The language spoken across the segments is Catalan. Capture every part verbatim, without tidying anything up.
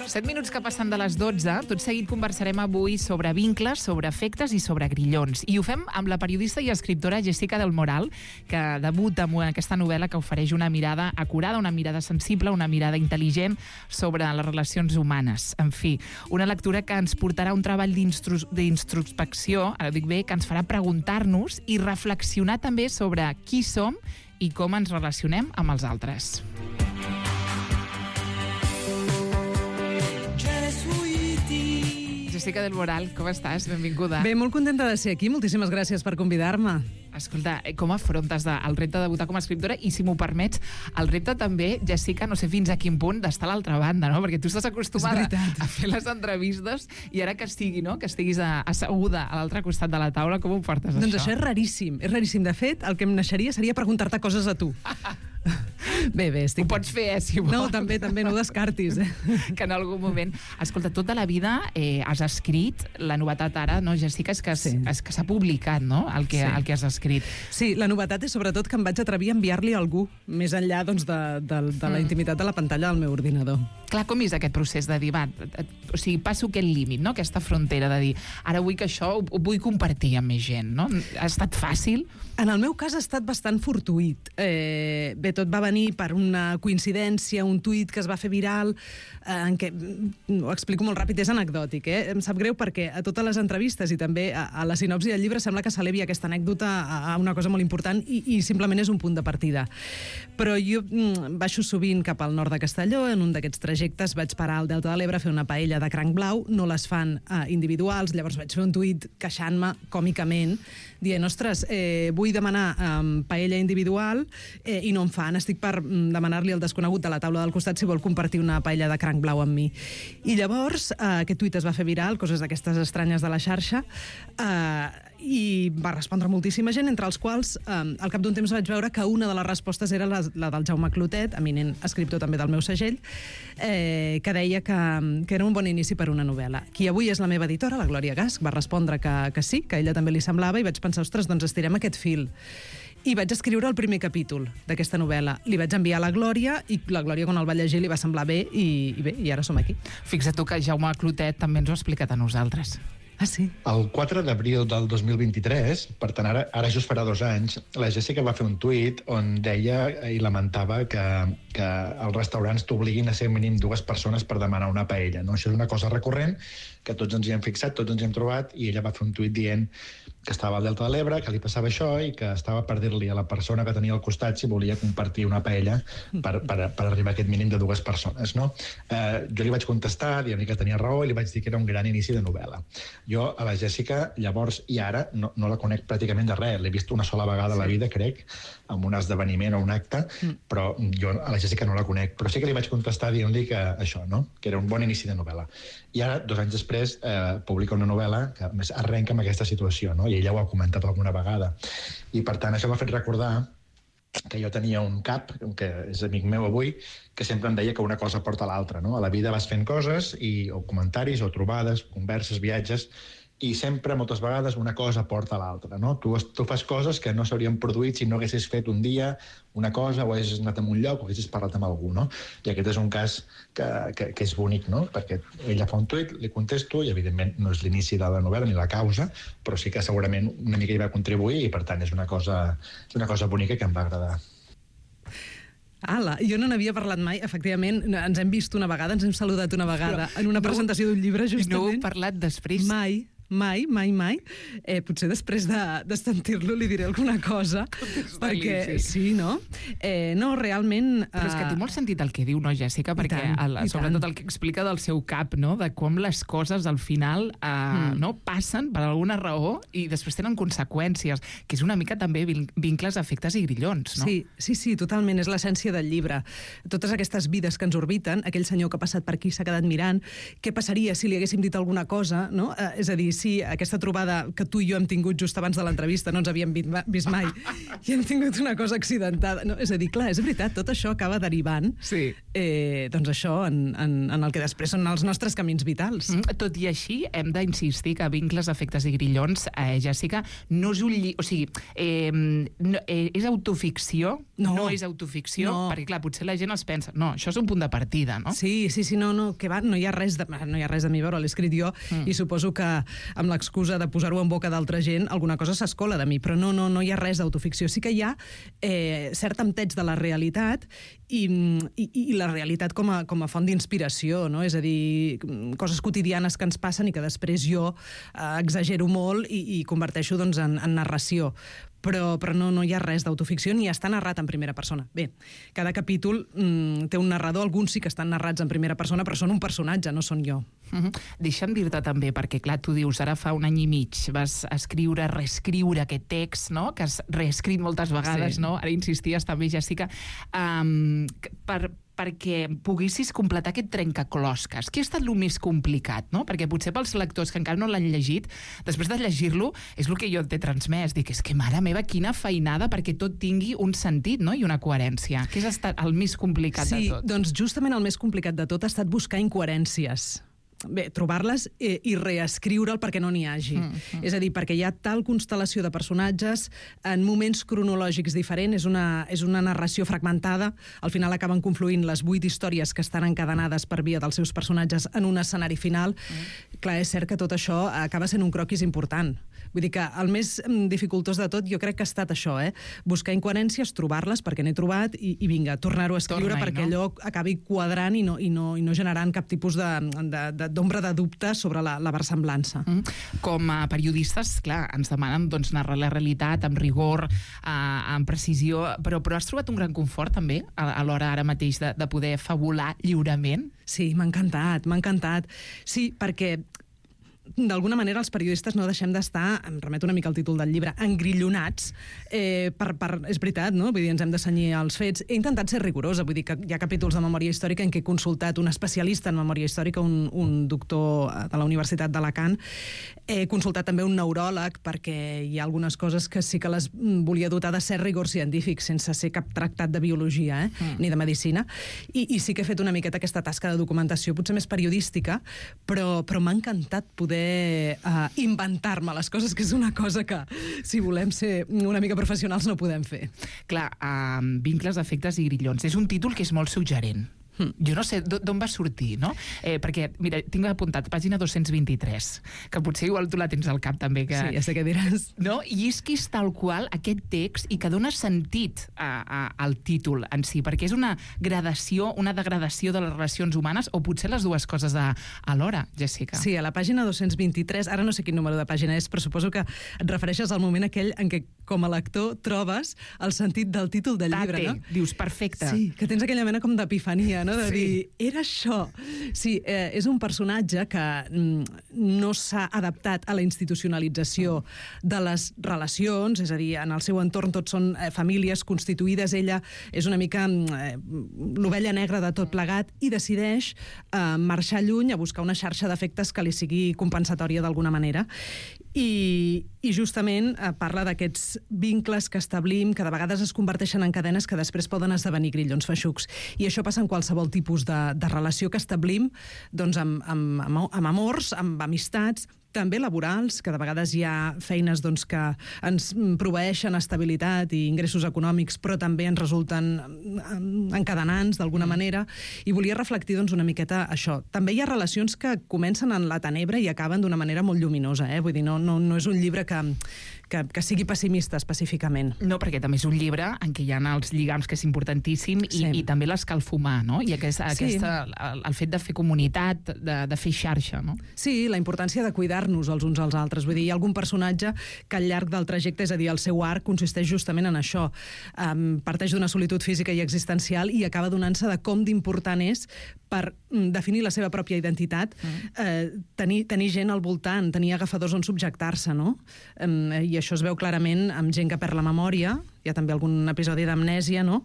set minuts que passen de les dotze. Tot seguit conversarem avui sobre vincles, sobre efectes i sobre grillons. I ho fem amb la periodista i escriptora Jessica del Moral, que debuta amb aquesta novel·la que ofereix una mirada acurada, una mirada sensible, una mirada intel·ligent sobre les relacions humanes. En fi, una lectura que ens portarà un treball d'introspecció, ara dic bé, que ens farà preguntar-nos i reflexionar també sobre qui som i com ens relacionem amb els altres. Jessica del Moral, com estàs? Benvinguda. Bé, molt contenta de ser aquí. Moltíssimes gràcies per convidar-me. Escolta, com afrontes el repte de debutar com a escriptora i, si m'ho permets, el repte també, Jessica, no sé fins a quin punt, d'estar a l'altra banda, no? Perquè tu estàs acostumada a fer les entrevistes i ara que estigui, no? Que estiguis asseguda a l'altre costat de la taula, com ho portes, doncs això? Doncs això és raríssim, és raríssim. De fet, el que em naixeria seria preguntar-te coses a tu. Bé, bé, estic... Ho pots fer, eh, si vols. No, també, també, no ho descartis. Eh? Que en algun moment... Escolta, tota la vida eh, has escrit, la novetat ara, no, Jessica, és que sí. s'ha publicat, no?, el que, sí. el que has escrit. Sí, la novetat és sobretot que em vaig atrevir a enviar-li a algú, més enllà doncs, de, de, de la intimitat de la pantalla del meu ordinador. Clar, com és aquest procés de dir, va, o sigui, passo aquest límit, no?, aquesta frontera de dir, ara vull que això ho, ho vull compartir amb més gent, no? Ha estat fàcil? En el meu cas ha estat bastant fortuït. Eh, bé, tot va venir per una coincidència, un tuit que es va fer viral, eh, en què, ho explico molt ràpid, és anecdòtic, eh? Em sap greu perquè a totes les entrevistes i també a, a la sinopsi del llibre sembla que s'elevi aquesta anècdota a, a una cosa molt important i, i simplement és un punt de partida. Però jo mm, baixo sovint cap al nord de Castelló, en un d'aquests trajectes vaig parar al Delta de l'Ebre a fer una paella de cranc blau, no les fan eh, individuals, llavors vaig fer un tuit queixant-me còmicament, dient, ostres, eh, vull demanar eh, paella individual eh, i no em fan, estic per demanar-li al desconegut de la taula del costat si vol compartir una paella de cranc blau amb mi. I llavors eh, aquest tuit es va fer viral, coses d'aquestes estranyes de la xarxa, eh, i va respondre moltíssima gent, entre els quals eh, al cap d'un temps vaig veure que una de les respostes era la, la del Jaume Clotet, eminent escriptor també del meu segell, eh, que deia que, que era un bon inici per una novel·la. Qui avui és la meva editora, la Glòria Gasch, va respondre que, que sí, que a ella també li semblava, i vaig pensar, ostres, doncs estirem aquest fil. I vaig escriure el primer capítol d'aquesta novel·la. Li vaig enviar a la Glòria i la Glòria, quan el va llegir, li va semblar bé i, i bé, i ara som aquí. Fixa't tu que Jaume Clotet també ens ho ha explicat a nosaltres. Ah, sí? El quatre d'abril del dos mil vint-i-tres, per tant, ara, ara just farà dos anys, la Jessica va fer un tuit on deia i lamentava que, que els restaurants t'obliguin a ser mínim dues persones per demanar una paella, no? Això és una cosa recurrent, que tots ens hi hem fixat, tots ens hi hem trobat, i ella va fer un tuit dient que estava al Delta de l'Ebre, que li passava això i que estava per dir-li a la persona que tenia al costat si volia compartir una paella per, per, per arribar a aquest mínim de dues persones, no? Eh, jo li vaig contestar, dient-li que tenia raó, i li vaig dir que era un gran inici de novel·la. Jo a la Jessica, llavors i ara, no, no la conec pràcticament de res. L'he vist una sola vegada a la vida, crec, en un esdeveniment o un acte, mm. però jo a la Jessica no la conec. Però sí que li vaig contestar dient-li que això, no?, que era un bon inici de novel·la. I ara, dos anys després, eh, publica una novel·la que més arrenca amb aquesta situació, no?, i ella ho ha comentat alguna vegada. I, per tant, això m'ha fet recordar que jo tenia un cap, que és amic meu avui, que sempre em deia que una cosa porta a l'altra, no? A la vida vas fent coses, i, o comentaris, o trobades, converses, viatges, i sempre, moltes vegades, una cosa porta a l'altra, no? Tu, tu fas coses que no s'haurien produït si no haguessis fet un dia una cosa, o haguessis anat a un lloc, o haguessis parlat amb algú, no? I aquest és un cas que, que, que és bonic, no? Perquè ella fa un tuit, li contesto, i evidentment no és l'inici de la novel·la ni la causa, però sí que segurament una mica hi va contribuir, i per tant és una cosa, és una cosa bonica que em va agradar. Ala, jo no n'havia parlat mai, efectivament, ens hem vist una vegada, ens hem saludat una vegada en una presentació d'un llibre, justament. I no heu parlat després? Mai. Mai, mai, mai. Eh, potser després de, de sentir-lo li diré alguna cosa. Perquè, sí, no? Eh, no, realment... Però és que té molt sentit el que diu, no, Jessica? Perquè tant, el, sobretot el que explica del seu cap, no?, de com les coses al final eh, mm. no passen per alguna raó i després tenen conseqüències, que és una mica també vincles, efectes i grillons, no? Sí, sí, sí, totalment, és l'essència del llibre. Totes aquestes vides que ens orbiten, aquell senyor que ha passat per aquí s'ha quedat mirant, què passaria si li haguéssim dit alguna cosa, no? Eh, és a dir, si aquesta trobada que tu i jo hem tingut just abans de l'entrevista no ens havíem vist mai i hem tingut una cosa accidentada, no? És a dir, clar, és veritat, tot això acaba derivant sí. eh, doncs això en, en, en el que després són els nostres camins vitals. Mm, tot i així, hem d'insistir que Vincles, efectes i grillons, eh, Jessica, no és un llibre, o sigui, eh, no, eh, és autoficció, no, no és autoficció, no. Perquè, clar, potser la gent es pensa, no, això és un punt de partida, no? Sí, sí, sí, no, no, que va, no hi ha res de, no hi ha res de mi, veure, l'he escrit jo, mm. i suposo que amb l'excusa de posar-ho en boca d'altra gent, alguna cosa s'escola de mi, però no, no, no hi ha res d'autoficció. Sí que hi ha eh, cert amteig de la realitat i, i, i la realitat com a, com a font d'inspiració, no? És a dir, coses quotidianes que ens passen i que després jo eh, exagero molt i, i converteixo doncs, en, en narració. Però, però no, no hi ha res d'autoficció ni està narrat en primera persona. Bé, cada capítol mm, té un narrador, alguns sí que estan narrats en primera persona, però són un personatge, no són jo. Uh-huh. Deixa'm dir-te també, perquè clar, tu dius, ara fa un any i mig vas escriure, reescriure aquest text, no?, que has reescrit moltes vegades, sí. No? Ara insisties també, Jessica, um, per... perquè poguessis completar aquest trencaclosques. Què ha estat el més complicat, no? Perquè potser pels lectors que encara no l'han llegit, després de llegir-lo, és el que jo t'he transmès. Dic, és que, mare meva, quina feinada perquè tot tingui un sentit, no?, i una coherència. Què ha estat el més complicat sí, de tot? Sí, doncs justament el més complicat de tot ha estat buscar incoherències. Bé, trobar-les eh, i reescriure'l perquè no n'hi hagi. Mm, mm. És a dir, perquè hi ha tal constel·lació de personatges en moments cronològics diferents, és una, és una narració fragmentada, al final acaben confluint les vuit històries que estan encadenades per via dels seus personatges en un escenari final. Mm. Clar, és cert que tot això acaba sent un croquis important. Vull dir que el més dificultós de tot jo crec que ha estat això, eh? Buscar incoherències, trobar-les perquè n'he trobat i, i vinga, tornar-ho a escriure Torna-hi, perquè no? allò acabi quadrant i no, i no, i no generant cap tipus de, de, de d'ombra de dubte sobre la, la versemblança. Mm. Com a periodistes, clar, ens demanen doncs, narrar la realitat amb rigor, eh, amb precisió, però, però has trobat un gran confort també a, a l'hora ara mateix de, de poder fabular lliurement? Sí, m'ha encantat, m'ha encantat. Sí, perquè d'alguna manera els periodistes no deixem d'estar, em remeto una mica al títol del llibre, engrillonats, eh, per, per, és veritat, no? Vull dir, ens hem de cenyir als fets. He intentat ser rigorosa, vull dir que hi ha capítols de memòria històrica en què he consultat un especialista en memòria històrica, un, un doctor de la Universitat d'Alacant. He consultat també un neuròleg, perquè hi ha algunes coses que sí que les volia dotar de cert rigor científic, sense ser cap tractat de biologia, eh? mm. ni de medicina, I, i sí que he fet una miqueta aquesta tasca de documentació, potser més periodística, però, però m'ha encantat poder Uh, inventar-me les coses, que és una cosa que, si volem ser una mica professionals, no podem fer. Clar, uh, Vincles, efectes i grillons. És un títol que és molt suggerent. Jo no sé d'on va sortir, no? Eh, perquè, mira, tinc apuntat pàgina dos-cents vint-i-tres, que potser igual tu la tens al cap també. Que... Sí, ja sé què diràs. No? I és que és tal qual aquest text i que dona sentit a, a, al títol en si, perquè és una gradació, una degradació de les relacions humanes, o potser les dues coses a, alhora, Jessica. Sí, a la pàgina dos-cents vint-i-tres, ara no sé quin número de pàgina és, però suposo que et refereixes al moment aquell en què, com a lector, trobes el sentit del títol del Tate, llibre, no? Dius, perfecte. Sí, que tens aquella mena com d'epifania, no? De sí. dir, era això. Sí, eh, és un personatge que mm, no s'ha adaptat a la institucionalització de les relacions, és a dir, en el seu entorn tots són eh, famílies constituïdes, ella és una mica eh, l'ovella negra de tot plegat i decideix eh, marxar lluny a buscar una xarxa d'efectes que li sigui compensatòria d'alguna manera. I, i justament eh, parla d'aquests vincles que establim, que de vegades es converteixen en cadenes que després poden esdevenir grillons feixucs. I això passa en qualsevol tipus de, de relació que establim, doncs amb, amb, amb, amb amors, amb amistats, també laborals, que de vegades hi ha feines doncs, que ens proveeixen estabilitat i ingressos econòmics, però també ens resulten encadenants d'alguna manera, i volia reflectir doncs, una miqueta això. També hi ha relacions que comencen en la tenebra i acaben d'una manera molt lluminosa, eh? Vull dir, no, no, no és un llibre que, que, que sigui pessimista específicament. No, perquè també és un llibre en què hi ha els lligams, que és importantíssim, i, sí. i també l'escalfumar, no? I aquesta, sí. aquesta, el, el fet de fer comunitat, de, de fer xarxa, no? Sí, la importància de cuidar nos els uns als altres. Vull dir, hi ha algun personatge que al llarg del trajecte, és a dir, el seu arc consisteix justament en això. Um, parteix d'una solitud física i existencial i acaba donant-se de com d'important és per mm, definir la seva pròpia identitat, mm. eh, tenir, tenir gent al voltant, tenir agafadors on subjectar-se, no? Um, I això es veu clarament amb gent que perd la memòria, hi ha també algun episodi d'amnèsia, no?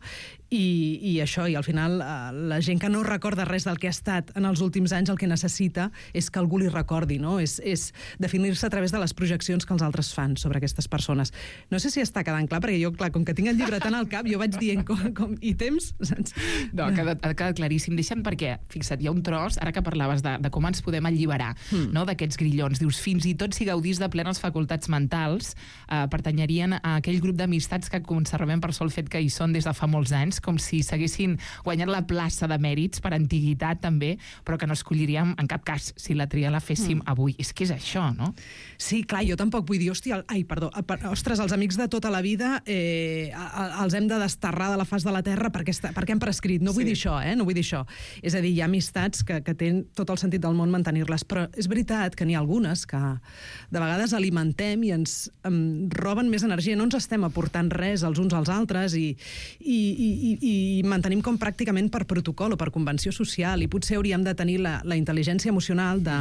I, i això, i al final eh, la gent que no recorda res del que ha estat en els últims anys el que necessita és que algú li recordi, no? És, és definir-se a través de les projeccions que els altres fan sobre aquestes persones. No sé si està quedant clar, perquè jo, clar, com que tinc el llibre tant al cap, jo vaig dient com, com i temps... Saps? No, ha quedat, ha quedat claríssim. Deixa'm, perquè, fixa't, hi ha un tros, ara que parlaves de, de com ens podem alliberar, mm. no?, d'aquests grillons. Dius, fins i tot si gaudís de plenes facultats mentals, eh, pertanyerien a aquell grup d'amistats que conservem per sol el fet que hi són des de fa molts anys, com si s'haguessin guanyat la plaça de mèrits per antiguitat també, però que no escolliríem en cap cas si la tria la féssim mm. avui. És que és això, no? Sí, clar, jo tampoc vull dir, hòstia, ai, perdó, ostres, els amics de tota la vida eh, els hem de desterrar de la faç de la terra perquè, està, perquè han prescrit. No vull sí. dir això, eh? No vull dir això. És a dir, hi ha amistats que, que tenen tot el sentit del món mantenir-les, però és veritat que n'hi ha algunes que de vegades alimentem i ens em, roben més energia, no ens estem aportant res els uns als altres i, i, i, i mantenim com pràcticament per protocol o per convenció social, i potser hauríem de tenir la, la intel·ligència emocional de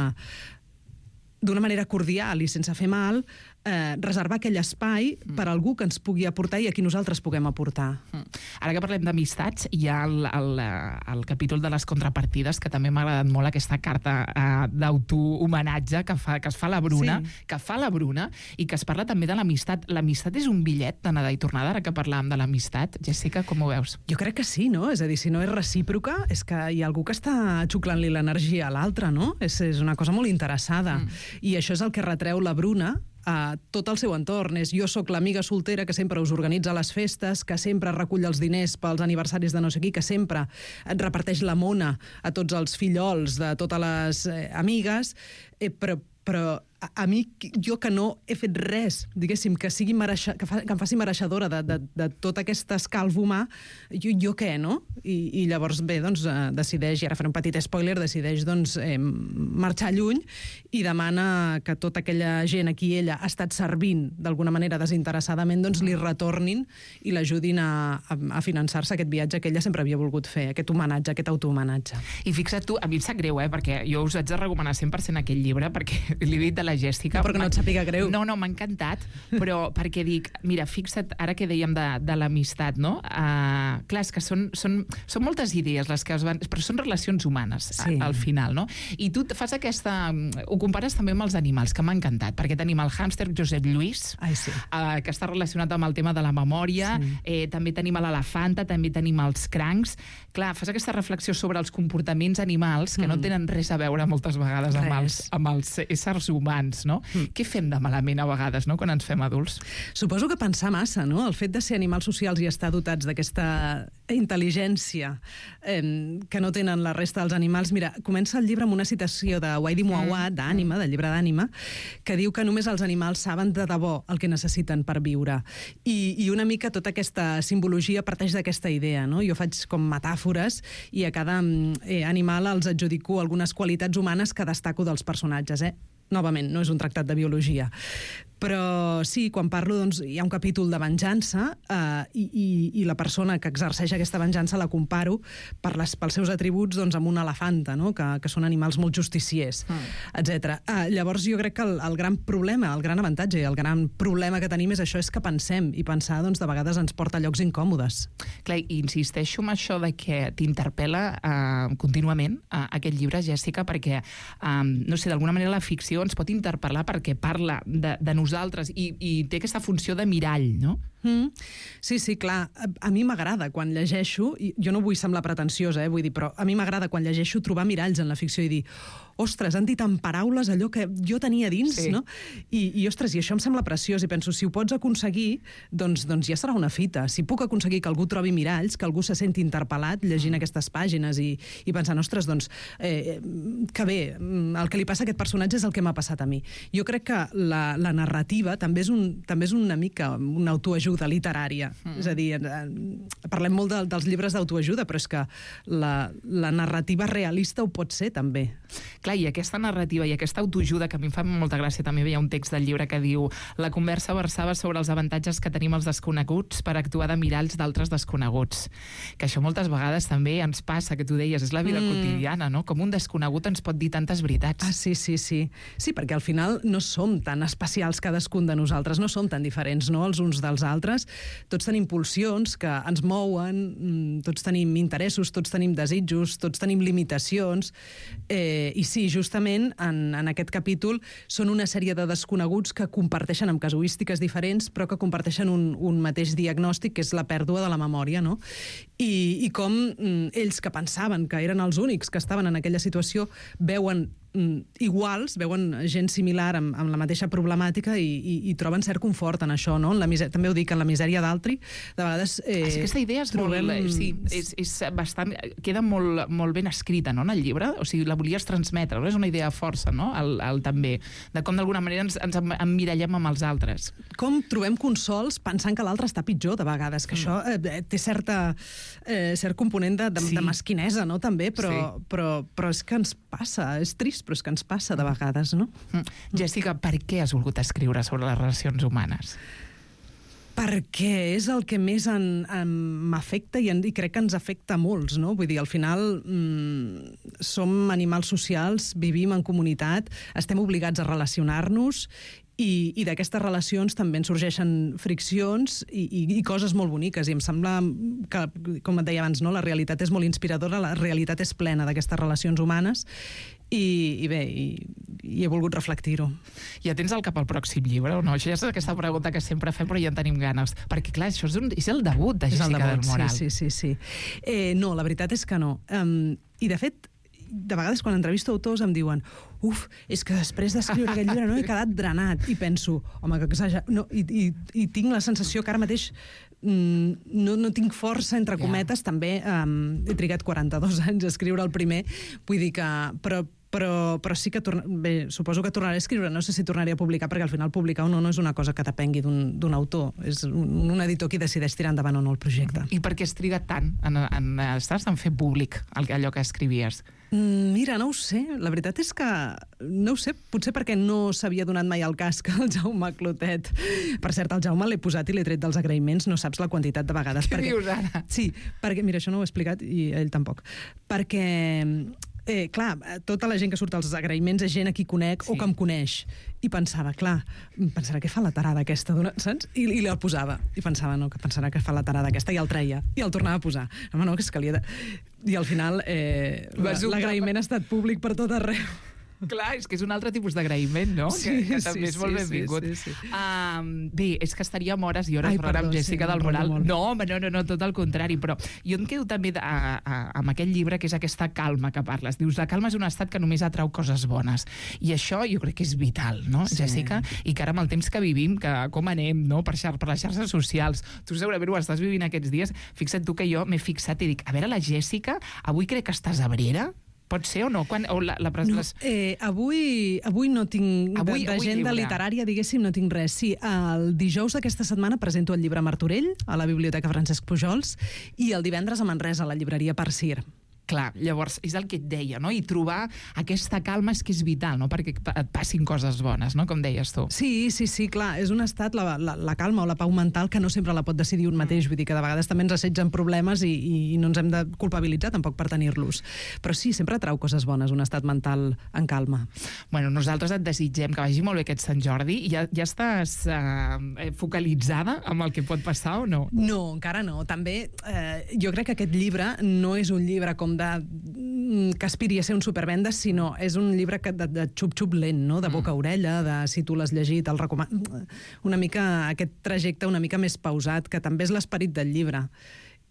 d'una manera cordial i sense fer mal, eh, reservar aquell espai mm. per a algú que ens pugui aportar i a qui nosaltres puguem aportar. Mm. Ara que parlem d'amistats, hi ha el, el, el capítol de les contrapartides, que també m'ha agradat molt aquesta carta eh, d'autohomenatge que, fa, que es fa la Bruna, sí. que fa la Bruna, i que es parla també de l'amistat. L'amistat és un bitllet d'anada i tornada, ara que parlàvem de l'amistat. Jessica, com ho veus? Jo crec que sí, no? És a dir, si no és recíproca, és que hi ha algú que està xuclant-li l'energia a l'altre, no? És, és una cosa molt interessada. Mm. I això és el que retreu la Bruna a tot el seu entorn. És, jo sóc l'amiga soltera que sempre us organitza les festes, que sempre recull els diners pels aniversaris de no sé qui, que sempre et reparteix la mona a tots els fillols de totes les eh, amigues, eh, però, però a, a mi, jo que no he fet res, diguéssim, que, sigui mereixer, que, fa, que em faci mereixedora de, de, de tot aquest escalf humà, jo, jo què, no? I, i llavors, bé, doncs, eh, decideix, i ara faré un petit spoiler, decideix, doncs, eh, marxar lluny i demana que tota aquella gent a qui ella ha estat servint d'alguna manera desinteressadament, doncs li retornin i l'ajudin a, a, a finançar-se aquest viatge que ella sempre havia volgut fer, aquest homenatge, aquest autohomenatge. I fixa't tu, a mi em sap greu, eh, perquè jo us haig de recomanar cent per cent aquest llibre, perquè l'he dit de la Jessica. No, perquè no et sàpiga greu. No, no, m'ha encantat, però perquè dic, mira, fixa't, ara que dèiem de, de l'amistat, no? Uh, clar, és que són, són, són moltes idees les que es van... Però són relacions humanes, sí. a, al final, no? I tu fas aquesta... Ho compares també amb els animals, que m'ha encantat, perquè tenim el hàmster Josep Lluís, Ai, sí. uh, que està relacionat amb el tema de la memòria, sí. eh, també tenim a l'elefanta, també tenim els crancs. Clar, fas aquesta reflexió sobre els comportaments animals que mm. no tenen res a veure moltes vegades amb els, amb els éssers humans, no? Mm. Què fem de malament a vegades, no?, quan ens fem adults? Suposo que pensar massa, no? El fet de ser animals socials i estar dotats d'aquesta intel·ligència eh, que no tenen la resta dels animals. Mira, comença el llibre amb una citació de Waidi Muawad, d'Ànima, del llibre d'Ànima, que diu que només els animals saben de debò el que necessiten per viure. I, i una mica tota aquesta simbologia parteix d'aquesta idea, no? Jo faig com metàfores i a cada eh, animal els adjudico algunes qualitats humanes que destaco dels personatges, eh? Novament, no és un tractat de biologia. Però sí, quan parlo, doncs, hi ha un capítol de venjança eh, i, i, i la persona que exerceix aquesta venjança la comparo per les, pels seus atributs doncs, amb una elefanta, no? que, que són animals molt justiciers, mm. etcètera. Eh, llavors jo crec que el, el gran problema, el gran avantatge i el gran problema que tenim és això, és que pensem, i pensar doncs, de vegades ens porta a llocs incòmodes. Clar, i insisteixo en això de que t'interpel·la eh, contínuament eh, aquest llibre, Jessica, perquè, eh, no sé, d'alguna manera la ficció ens pot interpel·lar perquè parla de, de nosaltres i, i té aquesta funció de mirall, no? Mm. Sí, sí, clar. A, a mi m'agrada quan llegeixo, i jo no vull semblar pretensiosa, eh, vull dir, però a mi m'agrada quan llegeixo trobar miralls en la ficció i dir, ostres, han dit en paraules allò que jo tenia dins, sí. no? I, i, ostres, i això em sembla preciós, i penso, si ho pots aconseguir, doncs, doncs ja serà una fita. Si puc aconseguir que algú trobi miralls, que algú se senti interpel·lat llegint mm. aquestes pàgines i, i pensant, ostres, doncs, eh, que bé, el que li passa a aquest personatge és el que m'ha passat a mi. Jo crec que la, la narrativa també és, un, també és una mica una autoajuda literària. Mm. És a dir, eh, parlem molt de, dels llibres d'autoajuda, però és que la, la narrativa realista ho pot ser, també. Clar, i aquesta narrativa i aquesta autoajuda, que a mi em fa molta gràcia, també hi ha un text del llibre que diu la conversa versava sobre els avantatges que tenim els desconeguts per actuar de miralls d'altres desconeguts. Que això moltes vegades també ens passa, que tu deies, és la vida mm. quotidiana, no? Com un desconegut ens pot dir tantes veritats. Ah, sí, sí, sí. Sí, perquè al final no som tan especials cadascun de nosaltres, no som tan diferents, no?, els uns dels altres. Tots tenim pulsions que ens mouen, tots tenim interessos, tots tenim desitjos, tots tenim limitacions, eh, i sí, justament en, en aquest capítol són una sèrie de desconeguts que comparteixen amb casuístiques diferents, però que comparteixen un, un mateix diagnòstic, que és la pèrdua de la memòria, no? I, i com mm, ells que pensaven que eren els únics que estaven en aquella situació veuen mm, iguals, veuen gent similar amb, amb la mateixa problemàtica i, i, i troben cert confort en això, no? En la misè... També ho dic, en la misèria d'altri, de vegades... Eh, ah, aquesta idea és trobem... molt... Sí, és, és bastant... Queda molt, molt ben escrita, no?, en el llibre. O sigui, la volies transmetre, no? És una idea força, no?, el, el també. De com d'alguna manera ens, ens emmirallem amb els altres. Com trobem consols pensant que l'altre està pitjor, de vegades, que mm. això eh, té certa, eh, cert component de, de, sí. de mesquinesa, no?, també, però, sí. però, però és que ens passa, és trist, però és que ens passa de vegades, no? Mm. Jessica, per què has volgut escriure sobre les relacions humanes? Perquè és el que més m'afecta i, i crec que ens afecta a molts, no? Vull dir, al final mmm, som animals socials, vivim en comunitat, estem obligats a relacionar-nos i, i d'aquestes relacions també en sorgeixen friccions i, i, i coses molt boniques, i em sembla que, com et deia abans, no? La realitat és molt inspiradora, la realitat és plena d'aquestes relacions humanes i, i bé, i, i he volgut reflectir-ho. Ja tens al cap el pròxim llibre o no? Això ja és aquesta pregunta que sempre fem, però ja en tenim ganes. Perquè, clar, això és, un, és el debut de Jessica debut, del Moral. Sí, sí, sí. sí. Eh, no, la veritat és que no. Um, I, de fet, de vegades quan entrevisto autors em diuen uf, és que després d'escriure aquest llibre no he quedat drenat. I penso, home, que exagerat. No, i, i, I tinc la sensació que ara mateix mm, no, no tinc força, entre cometes, yeah. també um, he trigat quaranta-dos anys a escriure el primer. Vull dir que... Però, Però, però sí que, torna... bé, suposo que tornaré a escriure, no sé si tornaré a publicar, perquè al final publicar o no no és una cosa que depengui d'un autor, és un, un editor qui decideix tirar endavant o no el projecte. I per què has trigat tant en, en, estàs en fer públic allò que escrivies? Mm, mira, no ho sé, la veritat és que no ho sé, potser perquè no s'havia donat mai el cas que el Jaume Clotet, per cert, el Jaume l'he posat i l'he tret dels agraïments, no saps la quantitat de vegades. Què perquè... dius ara? Sí, perquè, mira, això no ho he explicat i ell tampoc, perquè Eh, clar, tota la gent que surt als agraïments és gent a qui conec sí. o que em coneix. I pensava, clar, pensarà que fa la tarada aquesta, saps? I, i la posava. I pensava, no, que pensarà que fa la tarada aquesta, i el treia. I el tornava a posar. Home, no, que és que li he de... I al final eh, l'agraïment ha estat públic per tot arreu. Clar, és que és un altre tipus d'agraïment, no? Sí, que, que també sí, és molt sí, benvingut. Sí, sí, sí. Um, bé, és que estaríem hores i hores Ai, parlant perdó, amb Jessica sí, del Moral. molt. No, home, no, no, no, tot el contrari, però jo em quedo també a, a, amb aquell llibre que és aquesta calma que parles. Dius, la calma és un estat que només atrau coses bones. I això jo crec que és vital, no, sí. Jessica? I que ara amb el temps que vivim, que com anem, no?, per, xar per les xarxes socials, tu segurament ho estàs vivint aquests dies, fixa't tu que jo m'he fixat i dic, a veure, la Jessica, avui crec que estàs abrera? Pot ser o no? Quan, o la, la, no les... eh, avui, avui no tinc... Avui, d'agenda literària, diguéssim, no tinc res. Sí, el dijous d'aquesta setmana presento el llibre Martorell a la Biblioteca Francesc Pujols i el divendres a Manresa, a la llibreria Persir. Clar, llavors, és el que et deia, no? I trobar aquesta calma és que és vital, no?, perquè et passin coses bones, no?, com deies tu. Sí, sí, sí, clar, és un estat, la, la, la calma o la pau mental, que no sempre la pot decidir un mateix, vull dir que de vegades també ens assetgen problemes i, i no ens hem de culpabilitzar tampoc per tenir-los. Però sí, sempre trau coses bones, un estat mental en calma. Bueno, nosaltres et desitgem que vagi molt bé aquest Sant Jordi. Ja, ja estàs eh, focalitzada amb el que pot passar o no? No, encara no. També eh, jo crec que aquest llibre no és un llibre com de que aspiri a ser un supervendes, sinó és un llibre que de, de xup-xup lent, no? De boca a orella, de si tu l'has llegit, el recomano. Una mica, aquest trajecte una mica més pausat, que també és l'esperit del llibre.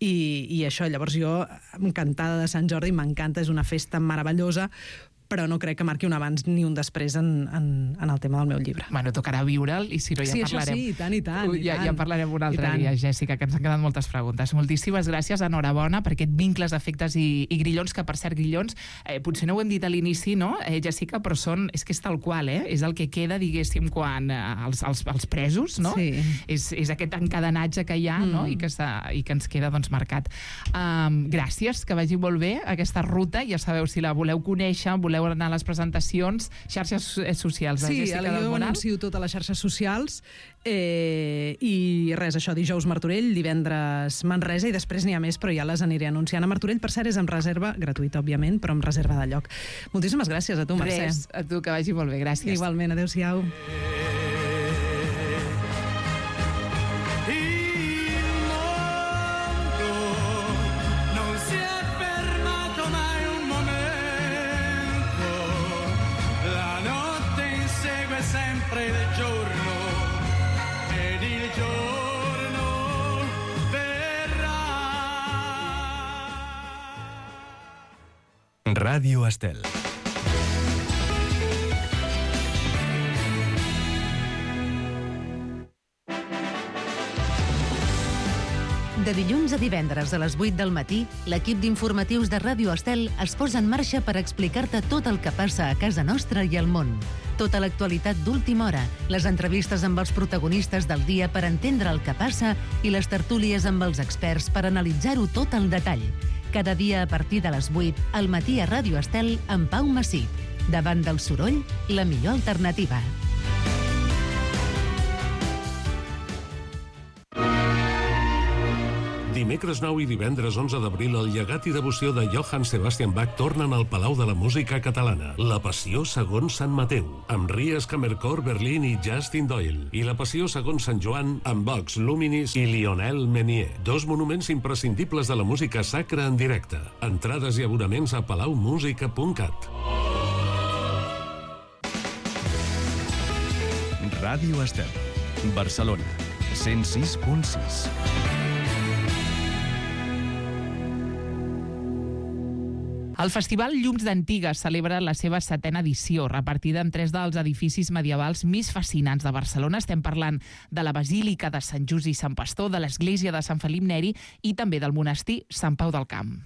I, i això, llavors jo, encantada de Sant Jordi, m'encanta, és una festa meravellosa, però no crec que marqui un abans ni un després en, en, en el tema del meu llibre. Bueno, tocarà viure'l i si no ja sí, parlarem. Sí, i tant, i tant. Ja, i tant. ja parlarem un altre dia, Jessica, que ens han quedat moltes preguntes. Moltíssimes gràcies, enhorabona per aquest vincles, efectes i, i grillons, que per cert, grillons, eh, potser no ho hem dit a l'inici, no, eh, Jessica, però són, és que és tal qual, eh? És el que queda, diguéssim, quan eh, els, els, els presos, no? Sí. És, és aquest encadenatge que hi ha, mm. no? I que, i que ens queda, doncs, marcat. Um, gràcies, que vagi molt bé aquesta ruta. Ja sabeu, si la voleu conèixer, voleu anar a les presentacions, xarxes socials. Sí, Jessica del jo Moral. anuncio totes les xarxes socials eh, i res, això, dijous Martorell, divendres Manresa i després n'hi ha més, però ja les aniré anunciant. A Martorell, per cert, és amb reserva gratuïta, òbviament, però amb reserva de lloc. Moltíssimes gràcies a tu, Mercè. Res, a tu, que vagi molt bé, gràcies. Igualment, adéu-siau. Sempre del giorno ed il giorno verrà. Radio Estel. De dilluns a divendres a les vuit del matí, l'equip d'informatius de Ràdio Estel es posa en marxa per explicar-te tot el que passa a casa nostra i al món. Tota l'actualitat d'última hora, les entrevistes amb els protagonistes del dia per entendre el que passa i les tertúlies amb els experts per analitzar-ho tot al detall. Cada dia a partir de les vuit, al matí a Ràdio Estel amb Pau Massip. Davant del soroll, la millor alternativa. Dimecres nou i divendres onze d'abril, el llegat i devoció de Johann Sebastian Bach tornen al Palau de la Música Catalana. La Passió segons Sant Mateu, amb Ries Kammerchor Berlín i Justin Doyle. I la Passió segons Sant Joan, amb Vox Luminis i Lionel Menier. Dos monuments imprescindibles de la música sacra en directe. Entrades i abonaments a palau música punt cat. Ràdio Estel, Barcelona, cent sis punt sis. El Festival Llums d'Antigues celebra la seva setena edició, repartida en tres dels edificis medievals més fascinants de Barcelona. Estem parlant de la Basílica de Sant Just i Sant Pastor, de l'Església de Sant Felip Neri i també del monestir Sant Pau del Camp.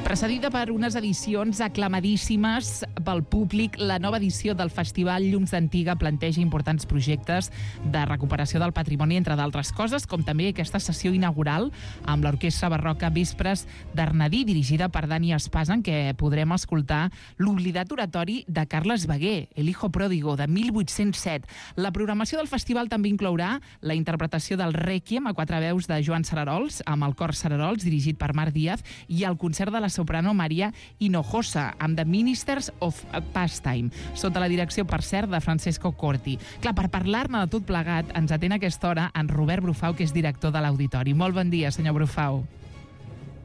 Precedida per unes edicions aclamadíssimes pel públic, la nova edició del Festival Llums d'Antiga planteja importants projectes de recuperació del patrimoni, entre d'altres coses, com també aquesta sessió inaugural amb l'Orquestra Barroca Vespres d'Arnadí, dirigida per Dani Espasa, en què podrem escoltar l'oblidat oratori de Carles Baguer, El hijo pródigo, de mil vuit-cents set. La programació del festival també inclourà la interpretació del Rèquiem a quatre veus de Joan Sararols, amb el cor Sararols, dirigit per Marc Díaz, i el concert de la soprano Maria Hinojosa, amb The Ministers of Pastime, sota la direcció, per cert, de Francesco Corti. Clar, per parlar-ne de tot plegat, ens atén a aquesta hora en Robert Brufau, que és director de l'Auditori. Molt bon dia, senyor Brufau.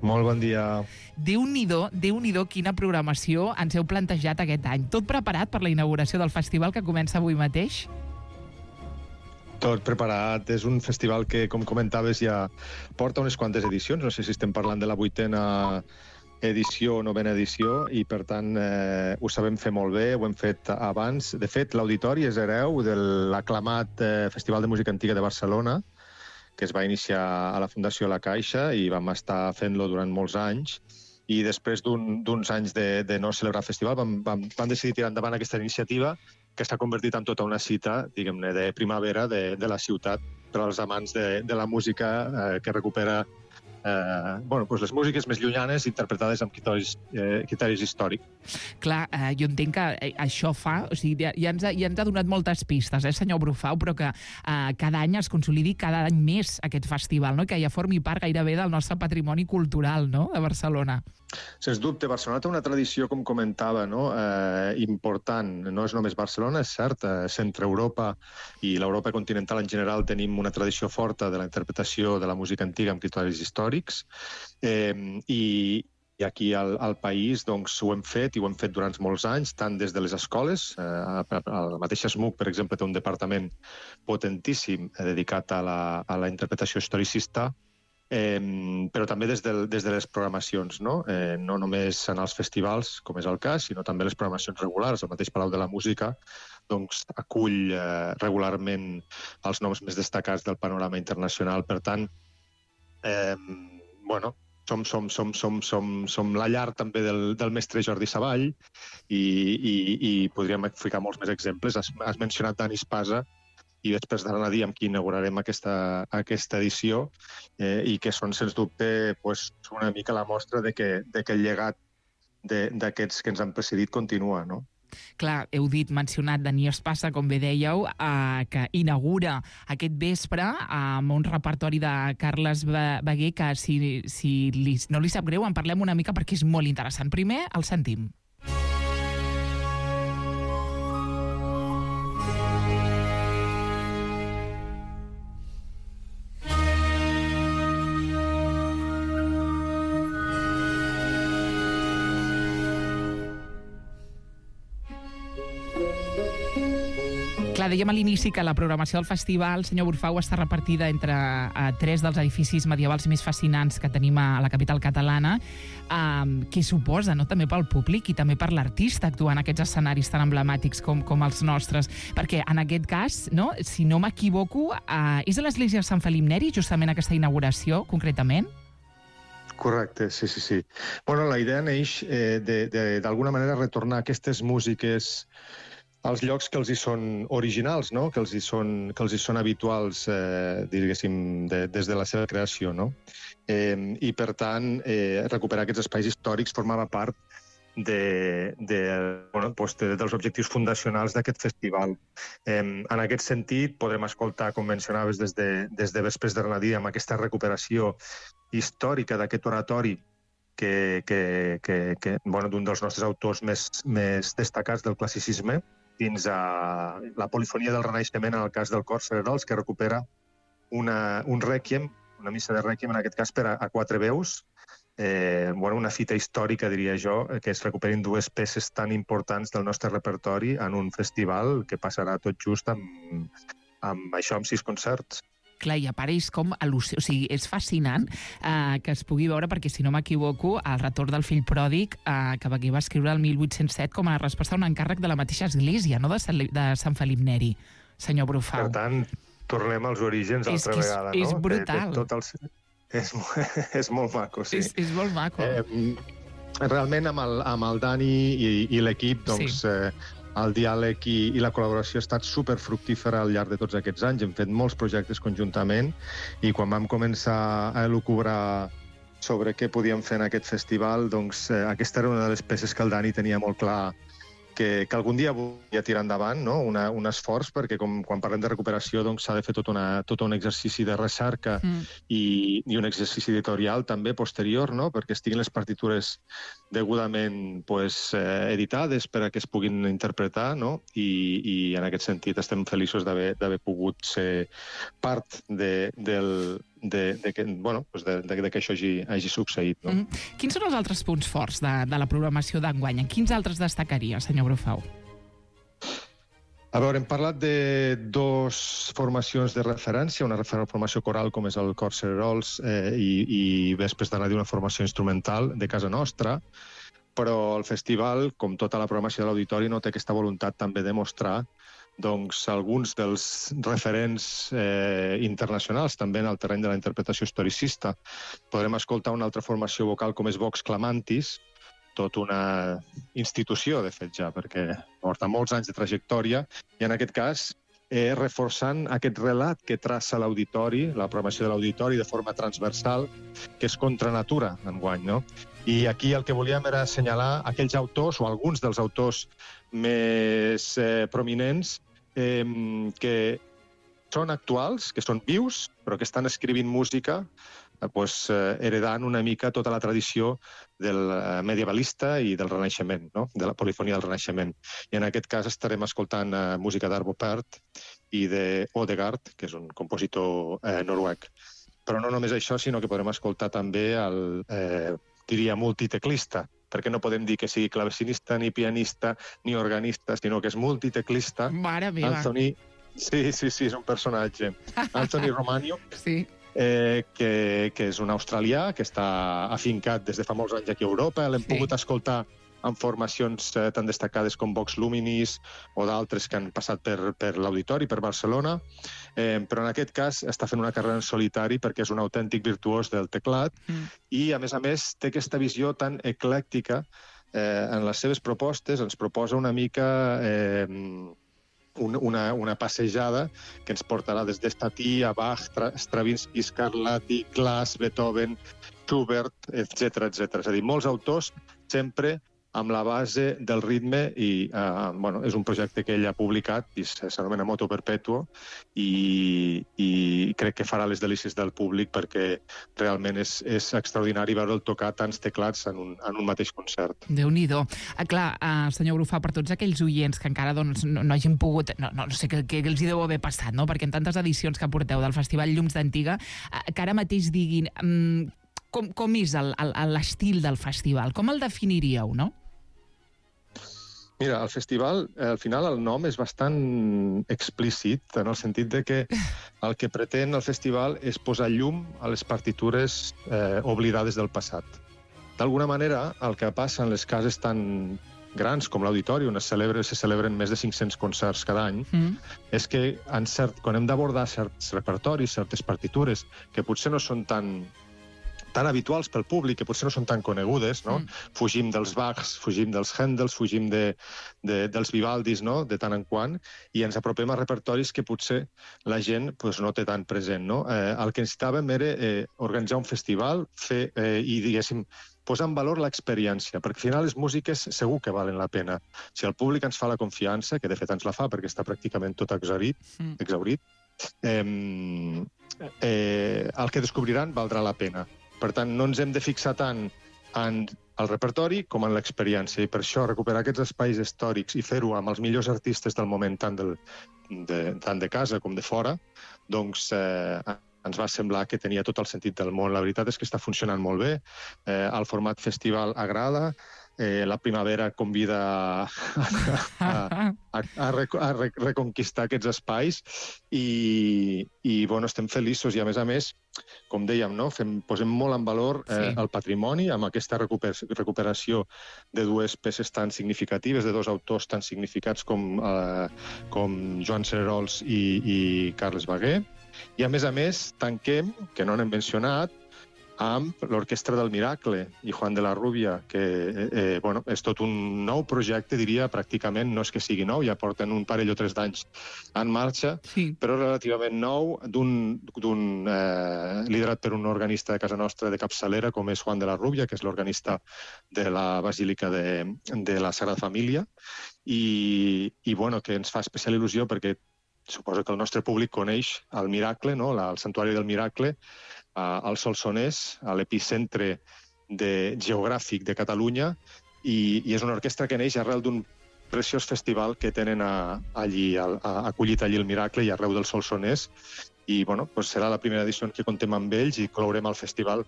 Molt bon dia. Déu-n'hi-do, Déu-n'hi-do quina programació ens heu plantejat aquest any. Tot preparat per la inauguració del festival que comença avui mateix? Tot preparat. És un festival que, com comentaves, ja porta unes quantes edicions. No sé si estem parlant de la vuitena edició o novena edició, i per tant eh, ho sabem fer molt bé, ho hem fet abans. De fet, l'Auditori és hereu de l'aclamat eh, Festival de Música Antiga de Barcelona, que es va iniciar a la Fundació La Caixa i vam estar fent-lo durant molts anys, i després d'uns un, anys de, de no celebrar el festival vam, vam, vam decidir tirar endavant aquesta iniciativa, que s'ha convertit en tota una cita, diguem-ne, de primavera de, de la ciutat per als amants de, de la música eh, que recupera Eh, bueno, doncs les músiques més llunyanes interpretades amb criteris, eh, criteris històrics. Clar, eh, jo entenc que eh, això fa... O sigui, ja, ja, ens ha, ja ens ha donat moltes pistes, eh, senyor Brufau, però que eh, cada any es consolidi cada any més aquest festival, no? Que ja formi part gairebé del nostre patrimoni cultural, no?, de Barcelona. Sens dubte, Barcelona té una tradició, com comentava, no? eh, important. No és només Barcelona, és cert, eh, Centre Europa i l'Europa continental en general tenim una tradició forta de la interpretació de la música antiga amb criteris històrics, eh, i, i aquí al, al país doncs, ho hem fet, i ho hem fet durant molts anys, tant des de les escoles, eh, el mateix S M U C, per exemple, té un departament potentíssim eh, dedicat a la, a la interpretació historicista, Eh, però també des, del, des de les programacions, no? Eh, no només en els festivals, com és el cas, sinó també les programacions regulars. El mateix Palau de la Música doncs, acull eh, regularment els noms més destacats del panorama internacional. Per tant, eh, bueno, som, som, som, som, som, som la llar també del, del mestre Jordi Savall, i, i, i podríem ficar molts més exemples. Has, has mencionat Dani Espasa, i després d'Arnadí, amb qui inaugurarem aquesta, aquesta edició, eh, i que són, sens dubte, pues, una mica la mostra de que, de que el llegat d'aquests que ens han precedit continua, no? Clar, heu dit, mencionat Dani Espasa, com bé dèieu, eh, que inaugura aquest vespre amb un repertori de Carles Baguer que, si, si li, no li sap greu, en parlem una mica perquè és molt interessant. Primer, el sentim. Clar, dèiem a l'inici que la programació del festival, senyor Brufau, està repartida entre uh, tres dels edificis medievals més fascinants que tenim a la capital catalana, um, que suposa, no?, també pel públic i també per l'artista actuar en aquests escenaris tan emblemàtics com, com els nostres. Perquè en aquest cas, no?, si no m'equivoco, uh, és a l'església de Sant Felip Neri, justament aquesta inauguració, concretament? Correcte, sí, sí, sí. Bueno, la idea neix eh, d'alguna manera retornar aquestes músiques als llocs que els hi són originals, no?, que els hi són, que els hi són habituals, eh, diguéssim, de, des de la seva creació, no? Eh, I, per tant, eh, recuperar aquests espais històrics formava part de, de, bueno, doncs de, dels objectius fundacionals d'aquest festival. Eh, en aquest sentit, podrem escoltar, com mencionaves, des de, des de Vespres d'Arnadí, amb aquesta recuperació històrica d'aquest oratori que, que, que, que, bueno, d'un dels nostres autors més, més destacats del classicisme, dins a la polifonia del Renaixement, en el cas del cor Cererols, que recupera una, un rèquiem, una missa de rèquiem, en aquest cas per a, a quatre veus, eh, bueno, una fita històrica, diria jo, que es recuperin dues peces tan importants del nostre repertori en un festival que passarà tot just amb, amb això, amb sis concerts. Clar, i apareix com al·lusió. O sigui, és fascinant eh, que es pugui veure, perquè, si no m'equivoco, el retorn del fill pròdig, eh, que va escriure el mil vuit-cents set com a resposta a un encàrrec de la mateixa església, no?, de Sant, de Sant Felip Neri, senyor Brufau. Per tant, tornem als orígens és altra és, vegada, és no? És brutal. De, de tot el... és, és molt maco, sí. És, és molt maco. Eh, realment, amb el, amb el Dani i, i l'equip, doncs... Sí. Eh, el diàleg i, i la col·laboració ha estat superfructífera al llarg de tots aquests anys. Hem fet molts projectes conjuntament i quan vam començar a elucubrar sobre què podíem fer en aquest festival, doncs eh, aquesta era una de les peces que el Dani tenia molt clar que, que algun dia volia tirar endavant, no? Una, un esforç, perquè com, quan parlem de recuperació doncs, s'ha de fer tot, una, tot un exercici de recerca mm. i, i un exercici editorial també posterior, no? Perquè estiguin les partitures degudament pues, eh, editades per a que es puguin interpretar, no? I, i en aquest sentit estem feliços d'haver pogut ser part de, del, de, de, que, bueno, pues de, de, de que això hagi, hagi succeït. No? Mm. Quins són els altres punts forts de, de la programació d'enguany? Quins altres destacaria, senyor Brufau? A veure, hem parlat de dos formacions de referència, una formació coral com és el Cor Cererols eh, i, i Vespres d'Arnadí, una formació instrumental de casa nostra, però el festival, com tota la programació de l'auditori, no té aquesta voluntat també de mostrar doncs, alguns dels referents eh, internacionals també en el terreny de la interpretació historicista. Podrem escoltar una altra formació vocal com és Vox Clamantis, tot una institució, de fet, ja, perquè porta molts anys de trajectòria, i en aquest cas eh, reforçant aquest relat que traça l'auditori, la programació de l'auditori de forma transversal, que és contra natura, enguany, no? I aquí el que volíem era assenyalar aquells autors, o alguns dels autors més eh, prominents, eh, que són actuals, que són vius, però que estan escrivint música, eh, pues, eh, heredant una mica tota la tradició del medievalista i del Renaixement, no? De la polifonia del Renaixement. I en aquest cas estarem escoltant eh, música d'Arvo Pärt i de Odegaard, que és un compositor eh, noruec. Però no només això, sinó que podrem escoltar també el, eh, diria, multiteclista, perquè no podem dir que sigui clavecinista, ni pianista, ni organista, sinó que és multiteclista. Mare meva. Anthony, sí, sí, sí, és un personatge. Anthony Romaniuk, sí. eh, que, que és un australià, que està afincat des de fa molts anys aquí a Europa. L'hem sí. pogut escoltar en formacions eh, tan destacades com Vox Luminis o d'altres que han passat per, per l'Auditori, per Barcelona, eh, però en aquest cas està fent una carrera en solitari perquè és un autèntic virtuós del teclat mm. i, a més a més, té aquesta visió tan eclèctica eh, en les seves propostes, ens proposa una mica eh, una, una passejada que ens portarà des d'Estati a Bach, Stravinsky, Scarlatti, Glass, Beethoven, Schubert, etcètera, etcètera. És a dir, molts autors sempre amb la base del ritme i eh, bueno, és un projecte que ell ha publicat i s'anomena Moto Perpetuo i, i crec que farà les delícies del públic perquè realment és, és extraordinari veure'l tocar tants teclats en un, en un mateix concert. Déu-n'hi-do. Ah, clar, eh, senyor Brufau, per tots aquells oients que encara doncs, no, no hagin pogut, no, no sé què, què els hi deu haver passat, no? Perquè en tantes edicions que porteu del Festival Llums d'Antiga, eh, que ara mateix diguin mm, com, com és l'estil del festival, com el definiríeu, no? Mira, el festival, al final el nom és bastant explícit, en el sentit de que el que pretén el festival és posar llum a les partitures eh, oblidades del passat. D'alguna manera, el que passa en les cases tan grans com l'Auditori, on es, celebra, se celebren més de cinc-cents concerts cada any, mm. és que en cert, quan hem d'abordar certs repertoris, certes partitures, que potser no són tan... tan habituals pel públic, que potser no són tan conegudes, no? Mm. Fugim dels Bachs, fugim dels Händels, fugim de, de, dels Vivaldis, no? De tant en quant, i ens apropem a repertoris que potser la gent pues, no té tan present, no? Eh, el que necessitàvem era eh, organitzar un festival fer, eh, i, diguéssim, posar en valor l'experiència, perquè al final les músiques segur que valen la pena. Si el públic ens fa la confiança, que de fet ens la fa perquè està pràcticament tot exaurit, mm. exaurit eh, eh, el que descobriran valdrà la pena. Per tant, no ens hem de fixar tant en el repertori com en l'experiència, i per això recuperar aquests espais històrics i fer-ho amb els millors artistes del moment, tant, del, de, tant de casa com de fora, doncs eh, ens va semblar que tenia tot el sentit del món. La veritat és que està funcionant molt bé, eh, el format festival agrada, Eh, la primavera convida a, a, a, a, rec a rec reconquistar aquests espais i, i bueno, estem feliços i, a més a més, com dèiem, no? Fem, posem molt en valor eh, sí. el patrimoni amb aquesta recuper recuperació de dues peces tan significatives, de dos autors tan significats com, eh, com Joan Cererols i, i Carles Baguer. I, a més a més, tanquem, que no n'hem mencionat, amb l'Orquestra del Miracle i Juan de la Rubia, que eh, bueno, és tot un nou projecte, diria, pràcticament, no és que sigui nou, ja porten un parell o tres d'anys en marxa, sí. però relativament nou, d'un eh, liderat per un organista de casa nostra de capçalera, com és Juan de la Rubia, que és l'organista de la Basílica de, de la Sagrada Família, i, i bueno, que ens fa especial il·lusió perquè suposo que el nostre públic coneix el Miracle, no? la, el Santuari del Miracle, al Solsonès, a l'epicentre de, geogràfic de Catalunya, i, i és una orquestra que neix arrel d'un preciós festival que tenen a, allí, a, a, acollit allí el Miracle i arreu del Solsonès, i bueno, pues serà la primera edició en què contem amb ells i clourem el festival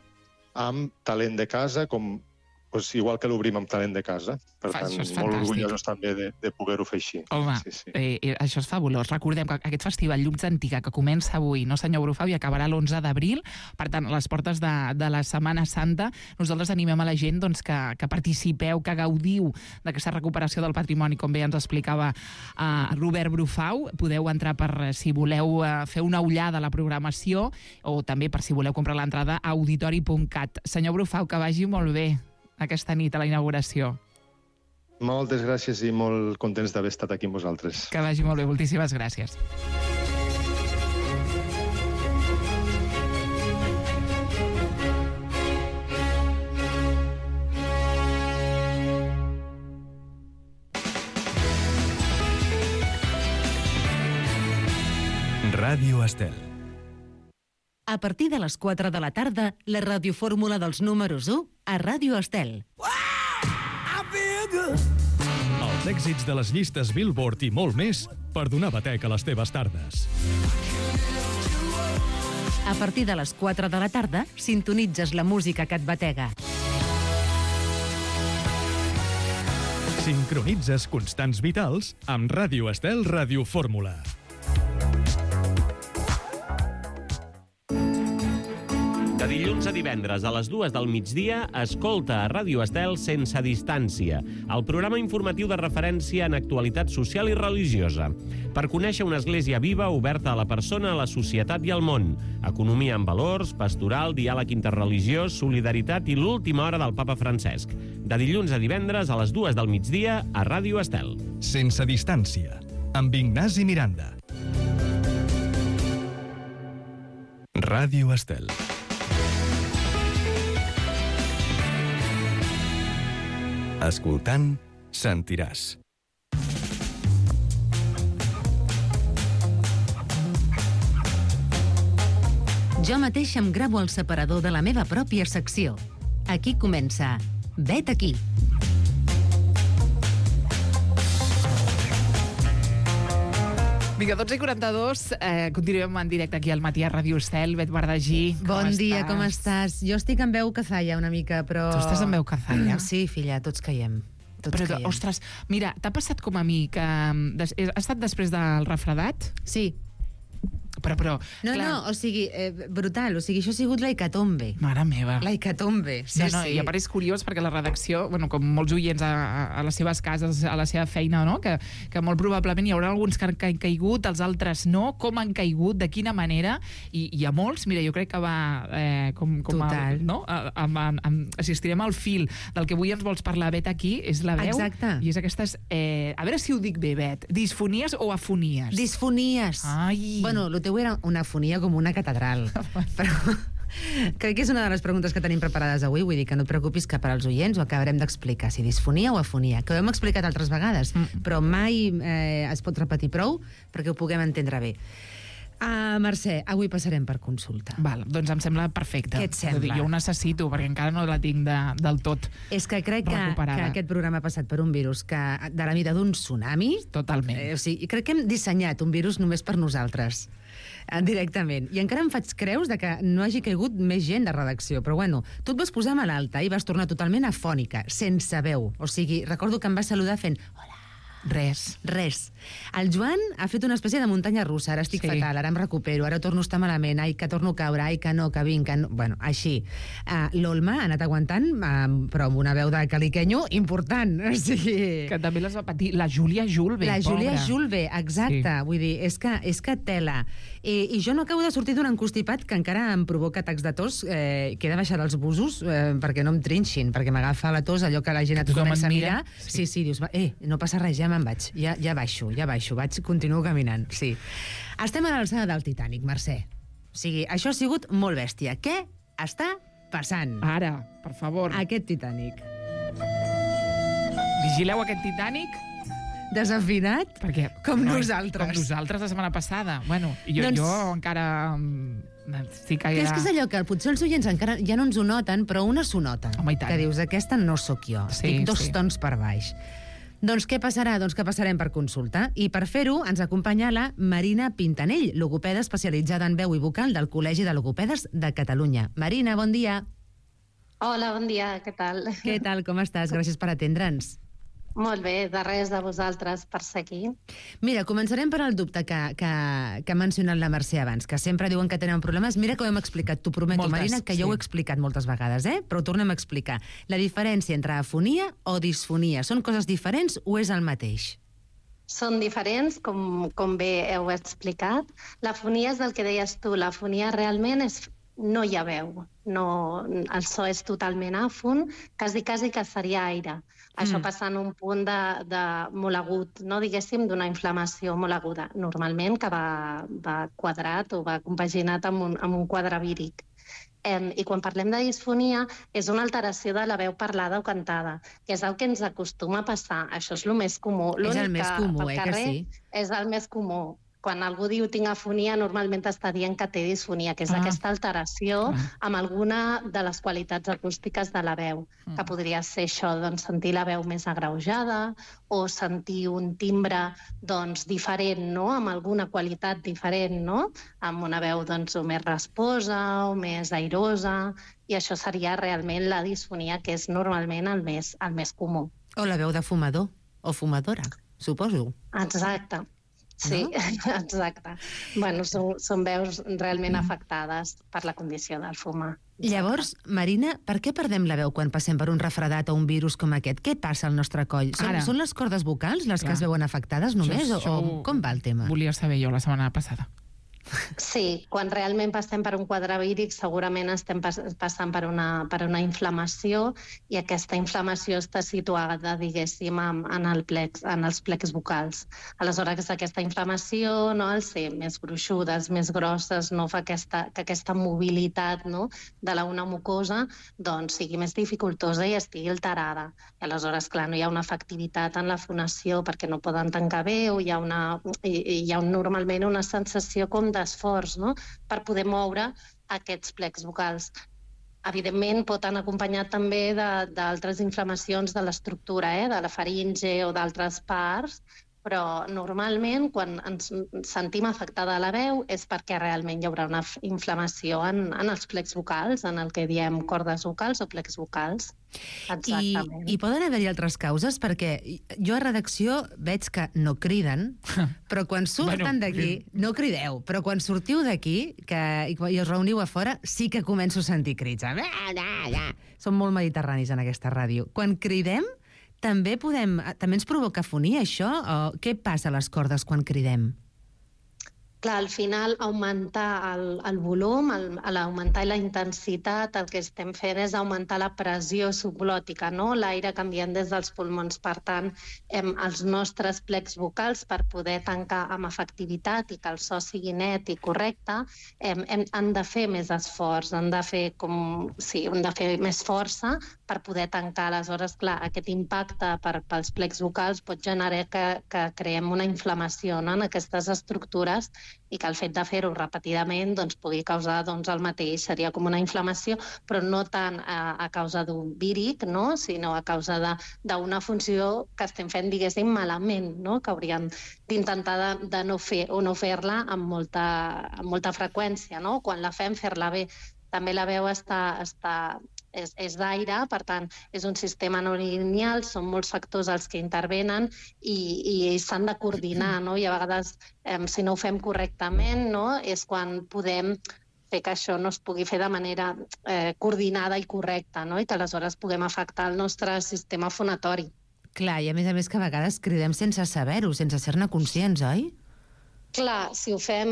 amb talent de casa, com pues, igual que l'obrim amb talent de casa. Per Fa, tant, molt orgullosos també de, de poder-ho fer així. Home, sí, sí. Eh, això és fabulós. Recordem que aquest festival Llums Antiga, que comença avui, no, senyor Brufau, i acabarà l'onze d'abril, per tant, a les portes de, de la Setmana Santa, nosaltres animem a la gent doncs, que, que participeu, que gaudiu d'aquesta recuperació del patrimoni, com bé ens explicava uh, Robert Brufau. Podeu entrar per, si voleu uh, fer una ullada a la programació, o també per si voleu comprar l'entrada a auditori punt cat. Senyor Brufau, que vagi molt bé aquesta nit a la inauguració. Moltes gràcies i molt contents d'haver estat aquí amb vosaltres. Que vagi molt bé, moltíssimes gràcies. Ràdio Estel. A partir de les quatre de la tarda, la radiofórmula dels números u a Ràdio Estel. Els èxits de les llistes Billboard i molt més per donar batec a les teves tardes. A partir de les quatre de la tarda, sintonitzes la música que et batega. Sincronitzes constants vitals amb Ràdio Estel Radiofórmula. De dilluns a divendres a les dues del migdia, escolta a Ràdio Estel Sense Distància, el programa informatiu de referència en actualitat social i religiosa. Per conèixer una església viva, oberta a la persona, a la societat i al món. Economia en valors, pastoral, diàleg interreligiós, solidaritat i l'última hora del papa Francesc. De dilluns a divendres a les dues del migdia a Ràdio Estel. Sense Distància, amb Ignasi Miranda. Ràdio Estel. Escoltant, sentiràs. Jo mateix em gravo el separador de la meva pròpia secció. Aquí comença Vet aquí. Vinga, dotze i quaranta-dos, eh, continuem en directe aquí al matí a Ràdio Estel. Bet Bardagí, com bon estàs? dia, com estàs? Jo estic en veu cazalla una mica, però... Tu estàs en veu cazalla? Sí, filla, tots caiem. tots Però, caiem. ostres, mira, t'ha passat com a mi que des, ha estat després del refredat? Sí. Però, però... No, clar, no, o sigui, eh, brutal. O sigui, això ha sigut la hecatombe. Mare meva. La hecatombe, sí, no, no, sí. I a part és curiós perquè la redacció, bueno, com molts oients a, a, a les seves cases, a la seva feina, no? que, que molt probablement hi haurà alguns que han ca- caigut, els altres no, com han caigut, de quina manera, i hi ha molts, mira, jo crec que va eh, com, com Total. A, no? A, a, a, a, assistirem al fil del que avui ens vols parlar, Bet, aquí, és la veu, Exacte. i és aquestes, eh, a veure si ho dic bé, Bet, disfonies o afonies? Disfonies. Ai. Bueno, el teu era una afonia com una catedral. Però crec que és una de les preguntes que tenim preparades avui. Vull dir que no et preocupis que per als oients ho acabarem d'explicar, si disfonia o afonia, que ho hem explicat altres vegades, mm. però mai eh, es pot repetir prou perquè ho puguem entendre bé. Uh, Mercè, avui passarem per consulta. Val, doncs em sembla perfecte. Què et sembla? Vull dir, jo ho necessito, perquè encara no la tinc de, del tot És que crec que, recuperada. que aquest programa ha passat per un virus que de la mida d'un tsunami. Totalment. Eh, o sigui, crec que hem dissenyat un virus només per nosaltres, eh, directament. I encara em faig creus de que no hagi caigut més gent de redacció. Però bueno, tu et vas posar malalta i vas tornar totalment afònica, sense veu. O sigui, recordo que em vas saludar fent... Hola. Res. Res. El Joan ha fet una espècie de muntanya russa. Ara estic Sí. fatal, ara em recupero, ara torno a estar malament, ai, que torno a caure, ai, que no, que vinc, que no... Bueno, així. Uh, L'Olma ha anat aguantant, uh, però amb una veu de caliquenyo important. O sigui... Que també les va patir. La Júlia Julve, La Júlia pobra. Julve, exacte. Sí. Vull dir, és que, és que tela. I, I jo no acabo de sortir d'un encostipat que encara em provoca atacs de tos, eh, que he de baixar dels busos eh, perquè no em trinxin, perquè m'agafa la tos, allò que la gent et Tothom comença et a mira. mirar. Sí, sí, dius, va, eh, no passa res, ja me'n vaig. Ja, ja baixo, ja baixo, vaig, continuo caminant, sí. Estem a l'alçada del Titanic, Mercè. O sigui, això ha sigut molt bèstia. Què està passant? Ara, per favor. Aquest Titanic. Vigileu aquest Titanic. Desafinat? Perquè, Com no, nosaltres. Com nosaltres la setmana passada. Bueno, jo, Doncs- jo encara mm, estic Que és que és allò que potser els oients encara ja no ens ho noten, però una s'ho nota. Home, i tant. Que dius, aquesta no sóc jo, Sí, estic dos sí. tons per baix. Doncs què passarà? Doncs que passarem per consulta. I per fer-ho ens acompanya la Marina Pintanell, logopeda especialitzada en veu i vocal del Col·legi de Logopedes de Catalunya. Marina, bon dia. Hola, bon dia, què tal? Què tal, com estàs? Gràcies per atendre'ns. Molt bé, de res de vosaltres per ser aquí. Mira, començarem per al dubte que, que, que ha mencionat la Mercè abans, que sempre diuen que tenen problemes. Mira que ho hem explicat, t'ho prometo, Moltes, Marina, que sí. jo ho he explicat moltes vegades, eh? Però ho tornem a explicar. La diferència entre afonia o disfonia, són coses diferents o és el mateix? Són diferents, com, com bé heu explicat. L'afonia és el que deies tu, l'afonia realment és... no hi ha veu, no, el so és totalment àfon, quasi, quasi que seria aire. Això Mm. passa en un punt de, de molt agut, no diguéssim, d'una inflamació molt aguda, normalment que va, va quadrat o va compaginat amb un, amb un quadre víric. Eh, I quan parlem de disfonia, és una alteració de la veu parlada o cantada, que és el que ens acostuma a passar. Això és el més comú. És el L'únic més comú, pel eh, que carrer sí? És el més comú. Quan algú diu tinc afonia, normalment està dient que té disfonia, que és Ah. aquesta alteració Ah. amb alguna de les qualitats acústiques de la veu, Mm. que podria ser això, doncs, sentir la veu més agreujada o sentir un timbre doncs, diferent, no? Amb alguna qualitat diferent, no? Amb una veu doncs, o més rasposa o més airosa, i això seria realment la disfonia, que és normalment el més, el més comú. O la veu de fumador o fumadora, suposo. Exacte. Sí, No? exacte. Bueno, són, són veus realment afectades per la condició del fumar. Llavors, Marina, per què perdem la veu quan passem per un refredat o un virus com aquest? Què passa al nostre coll? Són, Ara. són les cordes vocals les Clar. que es veuen afectades només? Això- o, això o com va el tema? Volia saber jo la setmana passada. Sí, quan realment passem per un quadre víric segurament estem pas passant per una, per una inflamació, i aquesta inflamació està situada, diguéssim, en, en, el plex, en els plecs vocals. Aleshores, aquesta inflamació, no, al ser més gruixudes, més grosses, no fa aquesta, que aquesta mobilitat, no, de la una mucosa doncs, sigui més dificultosa i estigui alterada. I aleshores, clar, no hi ha una efectivitat en la fonació perquè no poden tancar bé, o hi ha, una, hi, hi ha un, normalment una sensació com d'esforç, no?, per poder moure aquests plecs vocals. Evidentment, pot anar acompanyat també de- d'altres inflamacions de l'estructura, eh? de la faringe o d'altres parts, però normalment quan ens sentim afectada la veu és perquè realment hi haurà una inflamació en, en els plecs vocals, en el que diem cordes vocals o plecs vocals. Exactament. I, i poden haver-hi altres causes? Perquè jo a redacció veig que no criden, però quan surten Bueno, d'aquí, no crideu, però quan sortiu d'aquí que, i, i us reuniu a fora, sí que començo a sentir crits. Som molt mediterranis en aquesta ràdio. Quan cridem, també podem, també ens provoca afonia, això? O què passa a les cordes quan cridem? Clar, al final, augmentar el, el volum, el, l'augmentar la intensitat, el que estem fent és augmentar la pressió subglòtica, no? L'aire canviant des dels pulmons. Per tant, hem, els nostres plecs vocals, per poder tancar amb efectivitat i que el so sigui net i correcte, hem, hem, han de fer més esforç, han de fer, com, sí, han de fer més força per poder tancar. Aleshores, clar, aquest impacte per, pels plecs vocals pot generar que, que creem una inflamació, no?, en aquestes estructures, i que el fet de fer-ho repetidament doncs, pugui causar doncs, el mateix. Seria com una inflamació, però no tant a, a causa d'un víric, no?, sinó a causa d'una funció que estem fent, diguéssim, malament, no?, que hauríem d'intentar de, de no fer o no fer-la amb molta, amb molta freqüència, no? Quan la fem, fer-la bé. També la veu està, està, és, és d'aire, per tant, és un sistema no lineal, són molts factors els que intervenen i, i s'han de coordinar, no? I a vegades, eh, si no ho fem correctament, no?, és quan podem fer que això no es pugui fer de manera eh, coordinada i correcta, no?, i que aleshores puguem afectar el nostre sistema fonatori. Clar, i a més a més que a vegades cridem sense saber-ho, sense ser-ne conscients, oi? Clar, si ho fem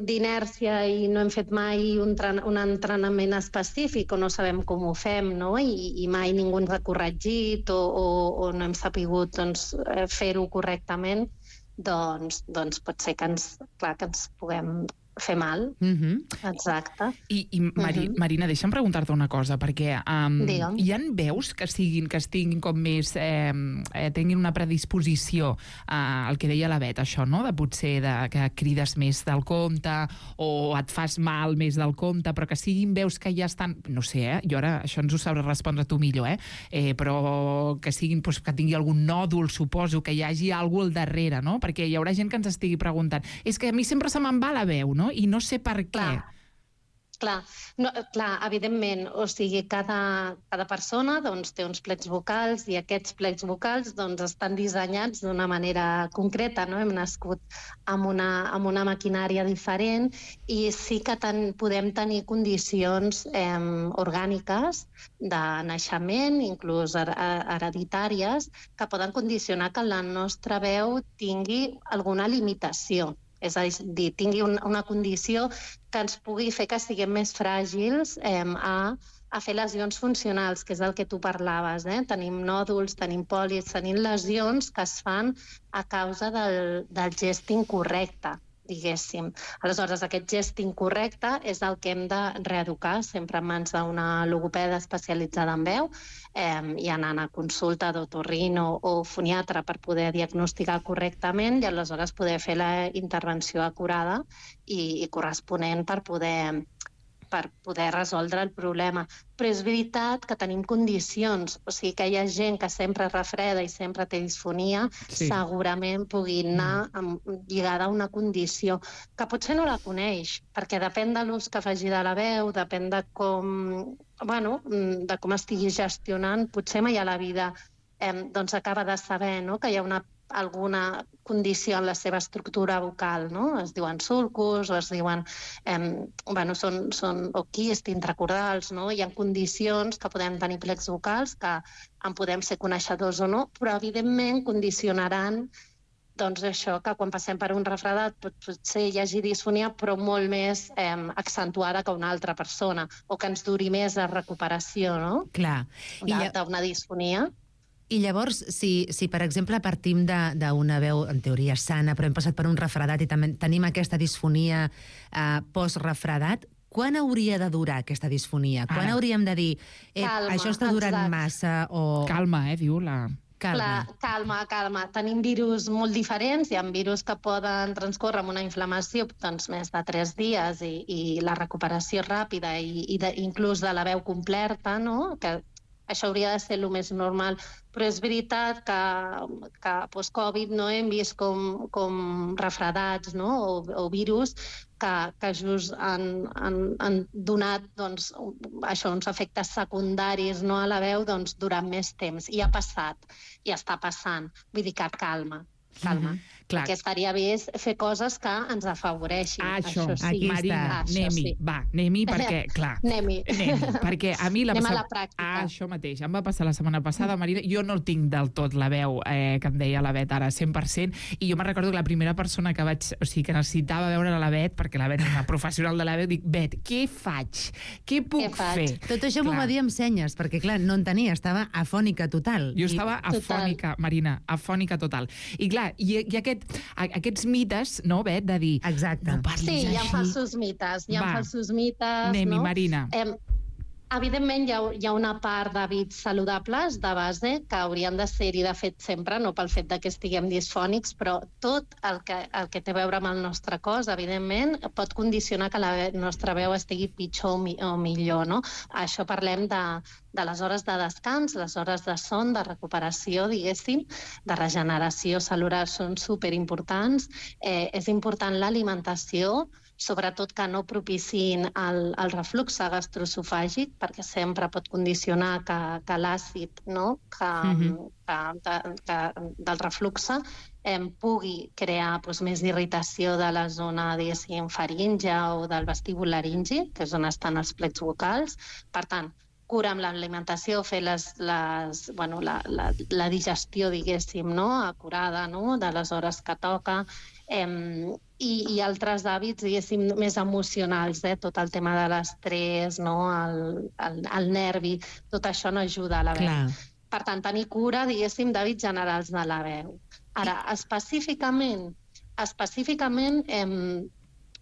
d'inèrcia i no hem fet mai un, un entrenament específic o no sabem com ho fem, no?, I, i mai ningú ens ha corregit o, o, o no hem sapigut doncs, fer-ho correctament, doncs, doncs pot ser que ens, clar, que ens puguem fer mal. Mm-hmm. Exacte. I, i Mari, mm-hmm. Marina, deixa'm preguntar-te una cosa, perquè um, hi ha veus que siguin, que estiguin com més, eh, eh, tinguin una predisposició uh, al que deia la Bet, això, no?, de potser de, que crides més del compte o et fas mal més del compte, però que siguin veus que ja estan, no sé, eh, jo ara això ens ho sabràs respondre tu millor, eh, eh però que siguin, doncs, que tingui algun nòdul, suposo, que hi hagi alguna cosa al darrere, no?, perquè hi haurà gent que ens estigui preguntant, és que a mi sempre se me'n va la veu, no?, i no sé per què. Clar, clar, no, clar evidentment, o sigui, cada, cada persona doncs, té uns plecs vocals i aquests plecs vocals doncs, estan dissenyats d'una manera concreta, no? Hem nascut amb una, amb una maquinària diferent i sí que ten, podem tenir condicions eh, orgàniques de naixement, inclús her hereditàries, que poden condicionar que la nostra veu tingui alguna limitació. És a dir, tingui una condició que ens pugui fer que siguem més fràgils eh, a, a fer lesions funcionals, que és el que tu parlaves. Eh? Tenim nòduls, tenim pòlits, tenim lesions que es fan a causa del, del gest incorrecte, diguéssim. Aleshores, aquest gest incorrecte és el que hem de reeducar, sempre en mans d'una logopeda especialitzada en veu, eh, i anant a consulta d'otorrino o foniatre per poder diagnosticar correctament i aleshores poder fer la intervenció acurada i, i corresponent per poder per poder resoldre el problema. Però és veritat que tenim condicions, o sigui que hi ha gent que sempre refreda i sempre té disfonia, sí. Segurament pugui anar amb, lligada a una condició que potser no la coneix, perquè depèn de l'ús que faci de la veu, depèn de com, bueno, de com estigui gestionant, potser mai a la vida eh, doncs acaba de saber, no?, que hi ha una alguna condició en la seva estructura vocal, no? Es diuen sulcus o es diuen... Eh, bueno, són, són o quists intracordals, no? Hi ha condicions que podem tenir plecs vocals que en podem ser coneixedors o no, però evidentment condicionaran doncs això, que quan passem per un refredat pot, potser hi hagi disfonia, però molt més eh, accentuada que una altra persona, o que ens duri més la recuperació, no? Clar. D'una disfonia. I llavors, si, si per exemple partim d'una veu en teoria sana, però hem passat per un refredat i també tenim aquesta disfonia eh, post-refredat, quan hauria de durar aquesta disfonia? Quan Ara. hauríem de dir, eh, calma, això està durant exacte. massa o... Calma, eh, diu la... Calma. La, calma, calma. Tenim virus molt diferents, hi ha virus que poden transcórrer amb una inflamació doncs, més de tres dies i, i la recuperació ràpida i, i de, inclús de la veu completa, no? Que Això hauria de ser el més normal. Però és veritat que, que post-Covid no, hem vist com, com refredats, no? o, o virus que, que just han, han, han donat doncs, això, uns efectes secundaris, no, a la veu doncs, durant més temps. I ha passat, i està passant. Vull dir que calma, calma. Mm-hmm. Clar. Perquè estaria bé fer coses que ens afavoreixin. Ah, això, això sí. Marina, ah, anem-hi, sí. va, anem-hi, perquè, clar... Anem-hi. Anem-hi, perquè a mi... La Anem passa... a la pràctica. Ah, això mateix, em va passar la setmana passada, Marina, jo no el tinc del tot, la veu, eh, que em deia la Bet ara, cent per cent, i jo me'n recordo que la primera persona que vaig... O sigui, que necessitava veure la Bet, perquè la Bet és una professional de la veu, dic, Bet, què faig? Què puc què faig? fer? Tot això m'ho va dir amb senyes, perquè, clar, no en tenia, estava afònica total. Jo estava I... afònica, Marina, afònica total. I clar, i, i aquest, aquests mites, no, Bet, de dir... Exacte. No parlis sí, així. hi ha falsos mites, hi ha Va. falsos mites, Anem-hi, no? Marina. Eh, evidentment, hi ha, hi ha una part d'hàbits saludables, de base, que haurien de ser-hi, de fet, sempre, no pel fet de que estiguem disfònics, però tot el que, el que té a veure amb el nostre cos, evidentment, pot condicionar que la nostra veu estigui pitjor o, mi o millor, no? Això parlem de, de les hores de descans, les hores de son, de recuperació, diguéssim, de regeneració celular són superimportants. Eh, és important l'alimentació, sobretot que no propiciïn el, el reflux gastroesofàgic, perquè sempre pot condicionar que, que l'àcid, no? que, mm-hmm. que, de, que, del reflux eh, pugui crear doncs, més irritació de la zona, diguéssim, faringe o del vestíbul laringi, que és on estan els plecs vocals. Per tant, cura amb l'alimentació, fer les, les, bueno, la, la, la digestió, diguéssim, no? acurada, no? de les hores que toca, eh, i, i altres hàbits, diguéssim, més emocionals, eh? tot el tema de l'estrès, no? el, el, el nervi, tot això no ajuda a la veu. Clar. Per tant, tenir cura, diguéssim, d'hàbits generals de la veu. Ara, específicament, específicament, eh,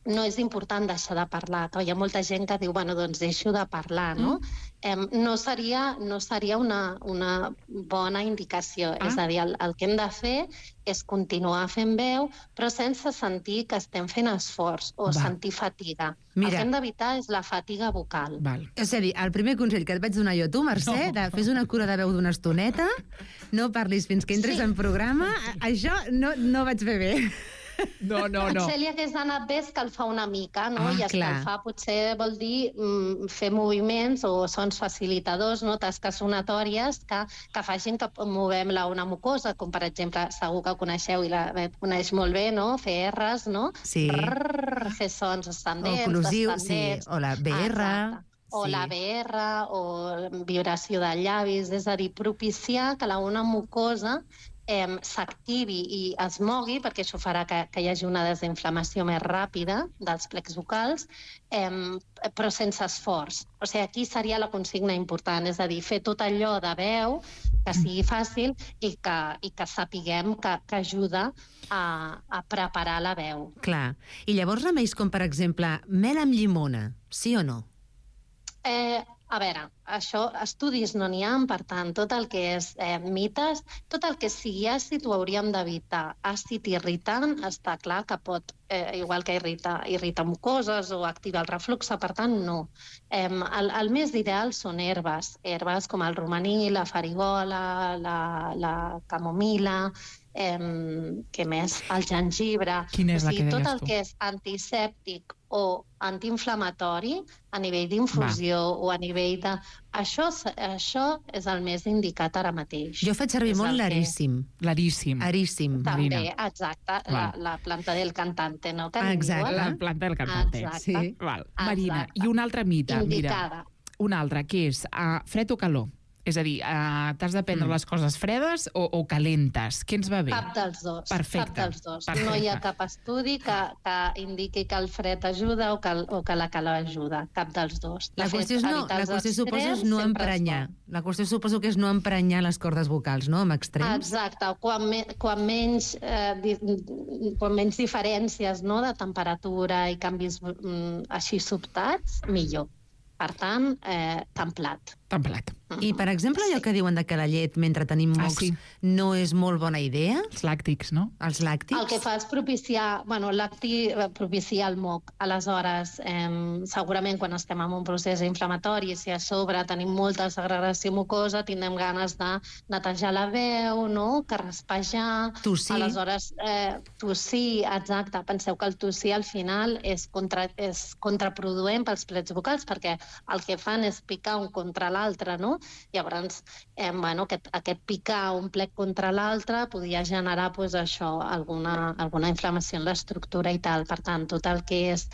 no és important deixar de parlar, que hi ha molta gent que diu, bueno, doncs deixo de parlar, no? Mm. Eh, no seria, no seria una, una bona indicació. Ah. És a dir, el, el que hem de fer és continuar fent veu, però sense sentir que estem fent esforç o Va. sentir fatiga. Mira. El que hem d'evitar és la fatiga vocal. Val. És a dir, el primer consell que et vaig donar jo a tu, Mercè, no. de fes una cura de veu d'una estoneta, no parlis fins que entres sí. en programa, això no, no vaig fer bé. No, no, no. Potser li hagués anat bé escalfar una mica, no? Ah, I escalfar clar. potser vol dir mm, fer moviments o sons facilitadors, no? Tasques sonatòries que, que facin que movem la una mucosa, com per exemple, segur que coneixeu i la coneix molt bé, no? Fer erres, no? Sí. Rrr, fer sons ascendents, Oclusiu, descendents. sí, o la B R. Exacte. O sí. la B R, o vibració de llavis, és a dir, propiciar que la una mucosa eh, s'activi i es mogui, perquè això farà que, que hi hagi una desinflamació més ràpida dels plecs vocals, eh, però sense esforç. O sigui, aquí seria la consigna important, és a dir, fer tot allò de veu que sigui fàcil i que, i que sapiguem que, que ajuda a, a preparar la veu. Clar. I llavors remeis com, per exemple, mel amb llimona, sí o no? Eh, a veure, això, estudis no n'hi ha, per tant, tot el que és eh, mites, tot el que sigui àcid ho hauríem d'evitar. Àcid irritant està clar que pot, eh, igual que irrita, irrita mucoses o activa el reflux, per tant, no. Eh, el, el més ideal són herbes, herbes com el romaní, la farigola, la, la camomila, eh, què més? El gengibre. Quina és o la sigui, que tot deies el tu? que és antisèptic o antiinflamatori a nivell d'infusió o a nivell de... Això, això és el més indicat ara mateix. Jo faig servir És molt el que- l'aríssim. L'aríssim. Aríssim. També, Marina. exacte, la, Val. la planta del cantante, no? Que en Exacte. diuen. La planta del cantante. Exacte. Sí. Val. Marina, Exacte. i un altre mite, Indicada. mira. Un altre, que és uh, fred o calor? És a dir, uh, t'has de prendre mm. les coses fredes o, o calentes? Què ens va bé? Cap dels dos. Perfecte. Cap dels dos. Perfecte. No hi ha cap estudi que, que indiqui que el fred ajuda o que, o que la calor ajuda. Cap dels dos. De La qüestió, és fet, no, evitar la els qüestió suposo és extrems no sempre és emprenyar. bo. La qüestió suposo que és no emprenyar les cordes vocals, no?, amb extrems. Exacte, quan, me, quan, menys, eh, di, quan menys diferències, no?, de temperatura i canvis mm, així sobtats, millor. Per tant, eh, templat. Templat. I, per exemple, allò que diuen de que la llet, mentre tenim mocs, Ah, sí. no és molt bona idea? Els làctics, no? Els làctics? El que fa és propiciar, bueno, el lacti eh, propicia el moc. Aleshores, eh, segurament quan estem en un procés inflamatori, si a sobre tenim molta segregació mucosa, tindrem ganes de netejar la veu, no? Carraspejar... Tossir. Aleshores, eh, tossir, exacte. Penseu que el tossir al final és, contra, és contraproduent pels plets vocals perquè el que fan és picar un contra l'altre, no? Llavors, eh, bueno, aquest, aquest picar un plec contra l'altre podia generar pues, això, alguna, alguna inflamació en l'estructura i tal. Per tant, tot el que és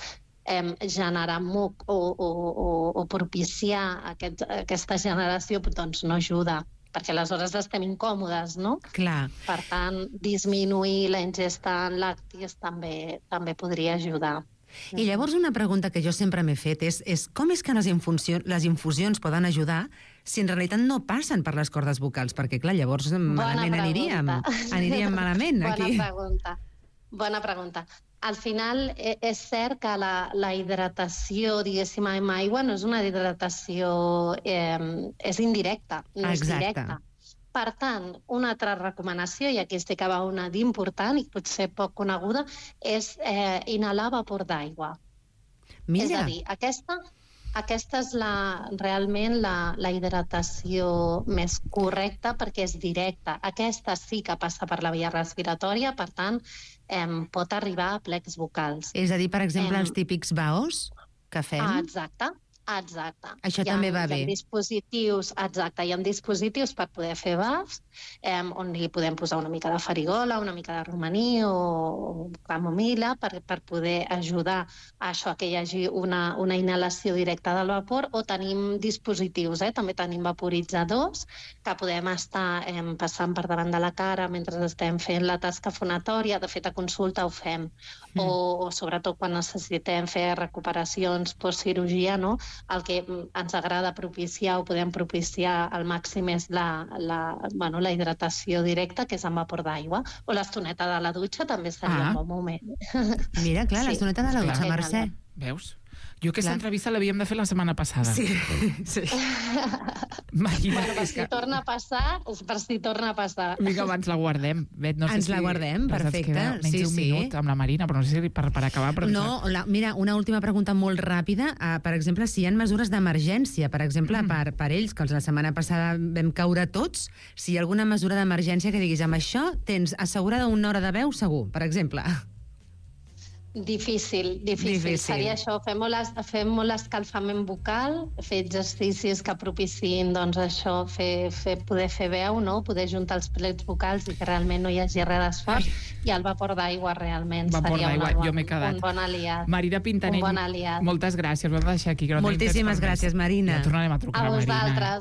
eh, generar muc o, o, o, o propiciar aquest, aquesta generació doncs no ajuda, perquè aleshores estem incòmodes, no? Clar. Per tant, disminuir la ingesta en làctics també, també podria ajudar. I llavors una pregunta que jo sempre m'he fet és, és com és que les, infusió, les infusions poden ajudar si en realitat no passen per les cordes vocals? Perquè, clar, llavors malament aniríem. Aniríem malament, aquí. Bona pregunta. Bona pregunta. Al final, eh, és cert que la, la hidratació, diguéssim, amb aigua no és una hidratació... Eh, és indirecta, no és Exacte. directa. Per tant, una altra recomanació, i aquí estic acaba una d'important i potser poc coneguda, és eh, inhalar vapor d'aigua. Mira. És a dir, aquesta, aquesta és la, realment la, la hidratació més correcta perquè és directa. Aquesta sí que passa per la via respiratòria, per tant, eh, pot arribar a plecs vocals. És a dir, per exemple, Em, els típics baos que fem? Ah, exacte. Exacte. Això hi ha, també va hi ha bé. dispositius, exacte, hi ha dispositius per poder fer bafs, eh, on li podem posar una mica de farigola, una mica de romaní o, o camomila per, per poder ajudar a això, que hi hagi una, una inhalació directa del vapor, o tenim dispositius, eh, també tenim vaporitzadors que podem estar eh, passant per davant de la cara mentre estem fent la tasca fonatòria, de fet a consulta ho fem, mm. o, o sobretot quan necessitem fer recuperacions postcirurgia, no? El que ens agrada propiciar o podem propiciar al màxim és la, la, bueno, la hidratació directa, que és amb vapor d'aigua, o l'estoneta de la dutxa també seria Ah. un bon moment. Mira, clar, Sí. l'estoneta de la dutxa, Clar. Mercè. Veus? Jo aquesta Clar. entrevista l'havíem de fer la setmana passada. Sí, sí. Imagina't, Bueno, per és si que... torna a passar, per si torna a passar. Vinga, abans la guardem. Bet, no sé Ens la si guardem, ens perfecte. queda menys Sí, d'un sí. minut amb la Marina, però no sé si per, per acabar... Però No, la, mira, una última pregunta molt ràpida. Uh, per exemple, si hi ha mesures d'emergència, per exemple, mm. per, per ells, que la setmana passada vam caure tots, si hi ha alguna mesura d'emergència que diguis, amb això tens assegurada una hora de veu segur, per exemple. Difícil, difícil, Difícil. Seria això, fer molt, es- fer molt escalfament vocal, fer exercicis que propiciïn doncs, això, fer, fer, poder fer veu, no? Poder juntar els plets vocals i que realment no hi hagi res d'esforç, i el vapor d'aigua realment Vapor seria d'aigua, una bon, jo m'he quedat. un bon aliat. Marina Pintanell, Un bon aliat. moltes gràcies. Ho hem de deixar aquí. Que no tenim Moltíssimes temps per més. gràcies, Marina. Ja tornarem a trucar A a Marina. vosaltres.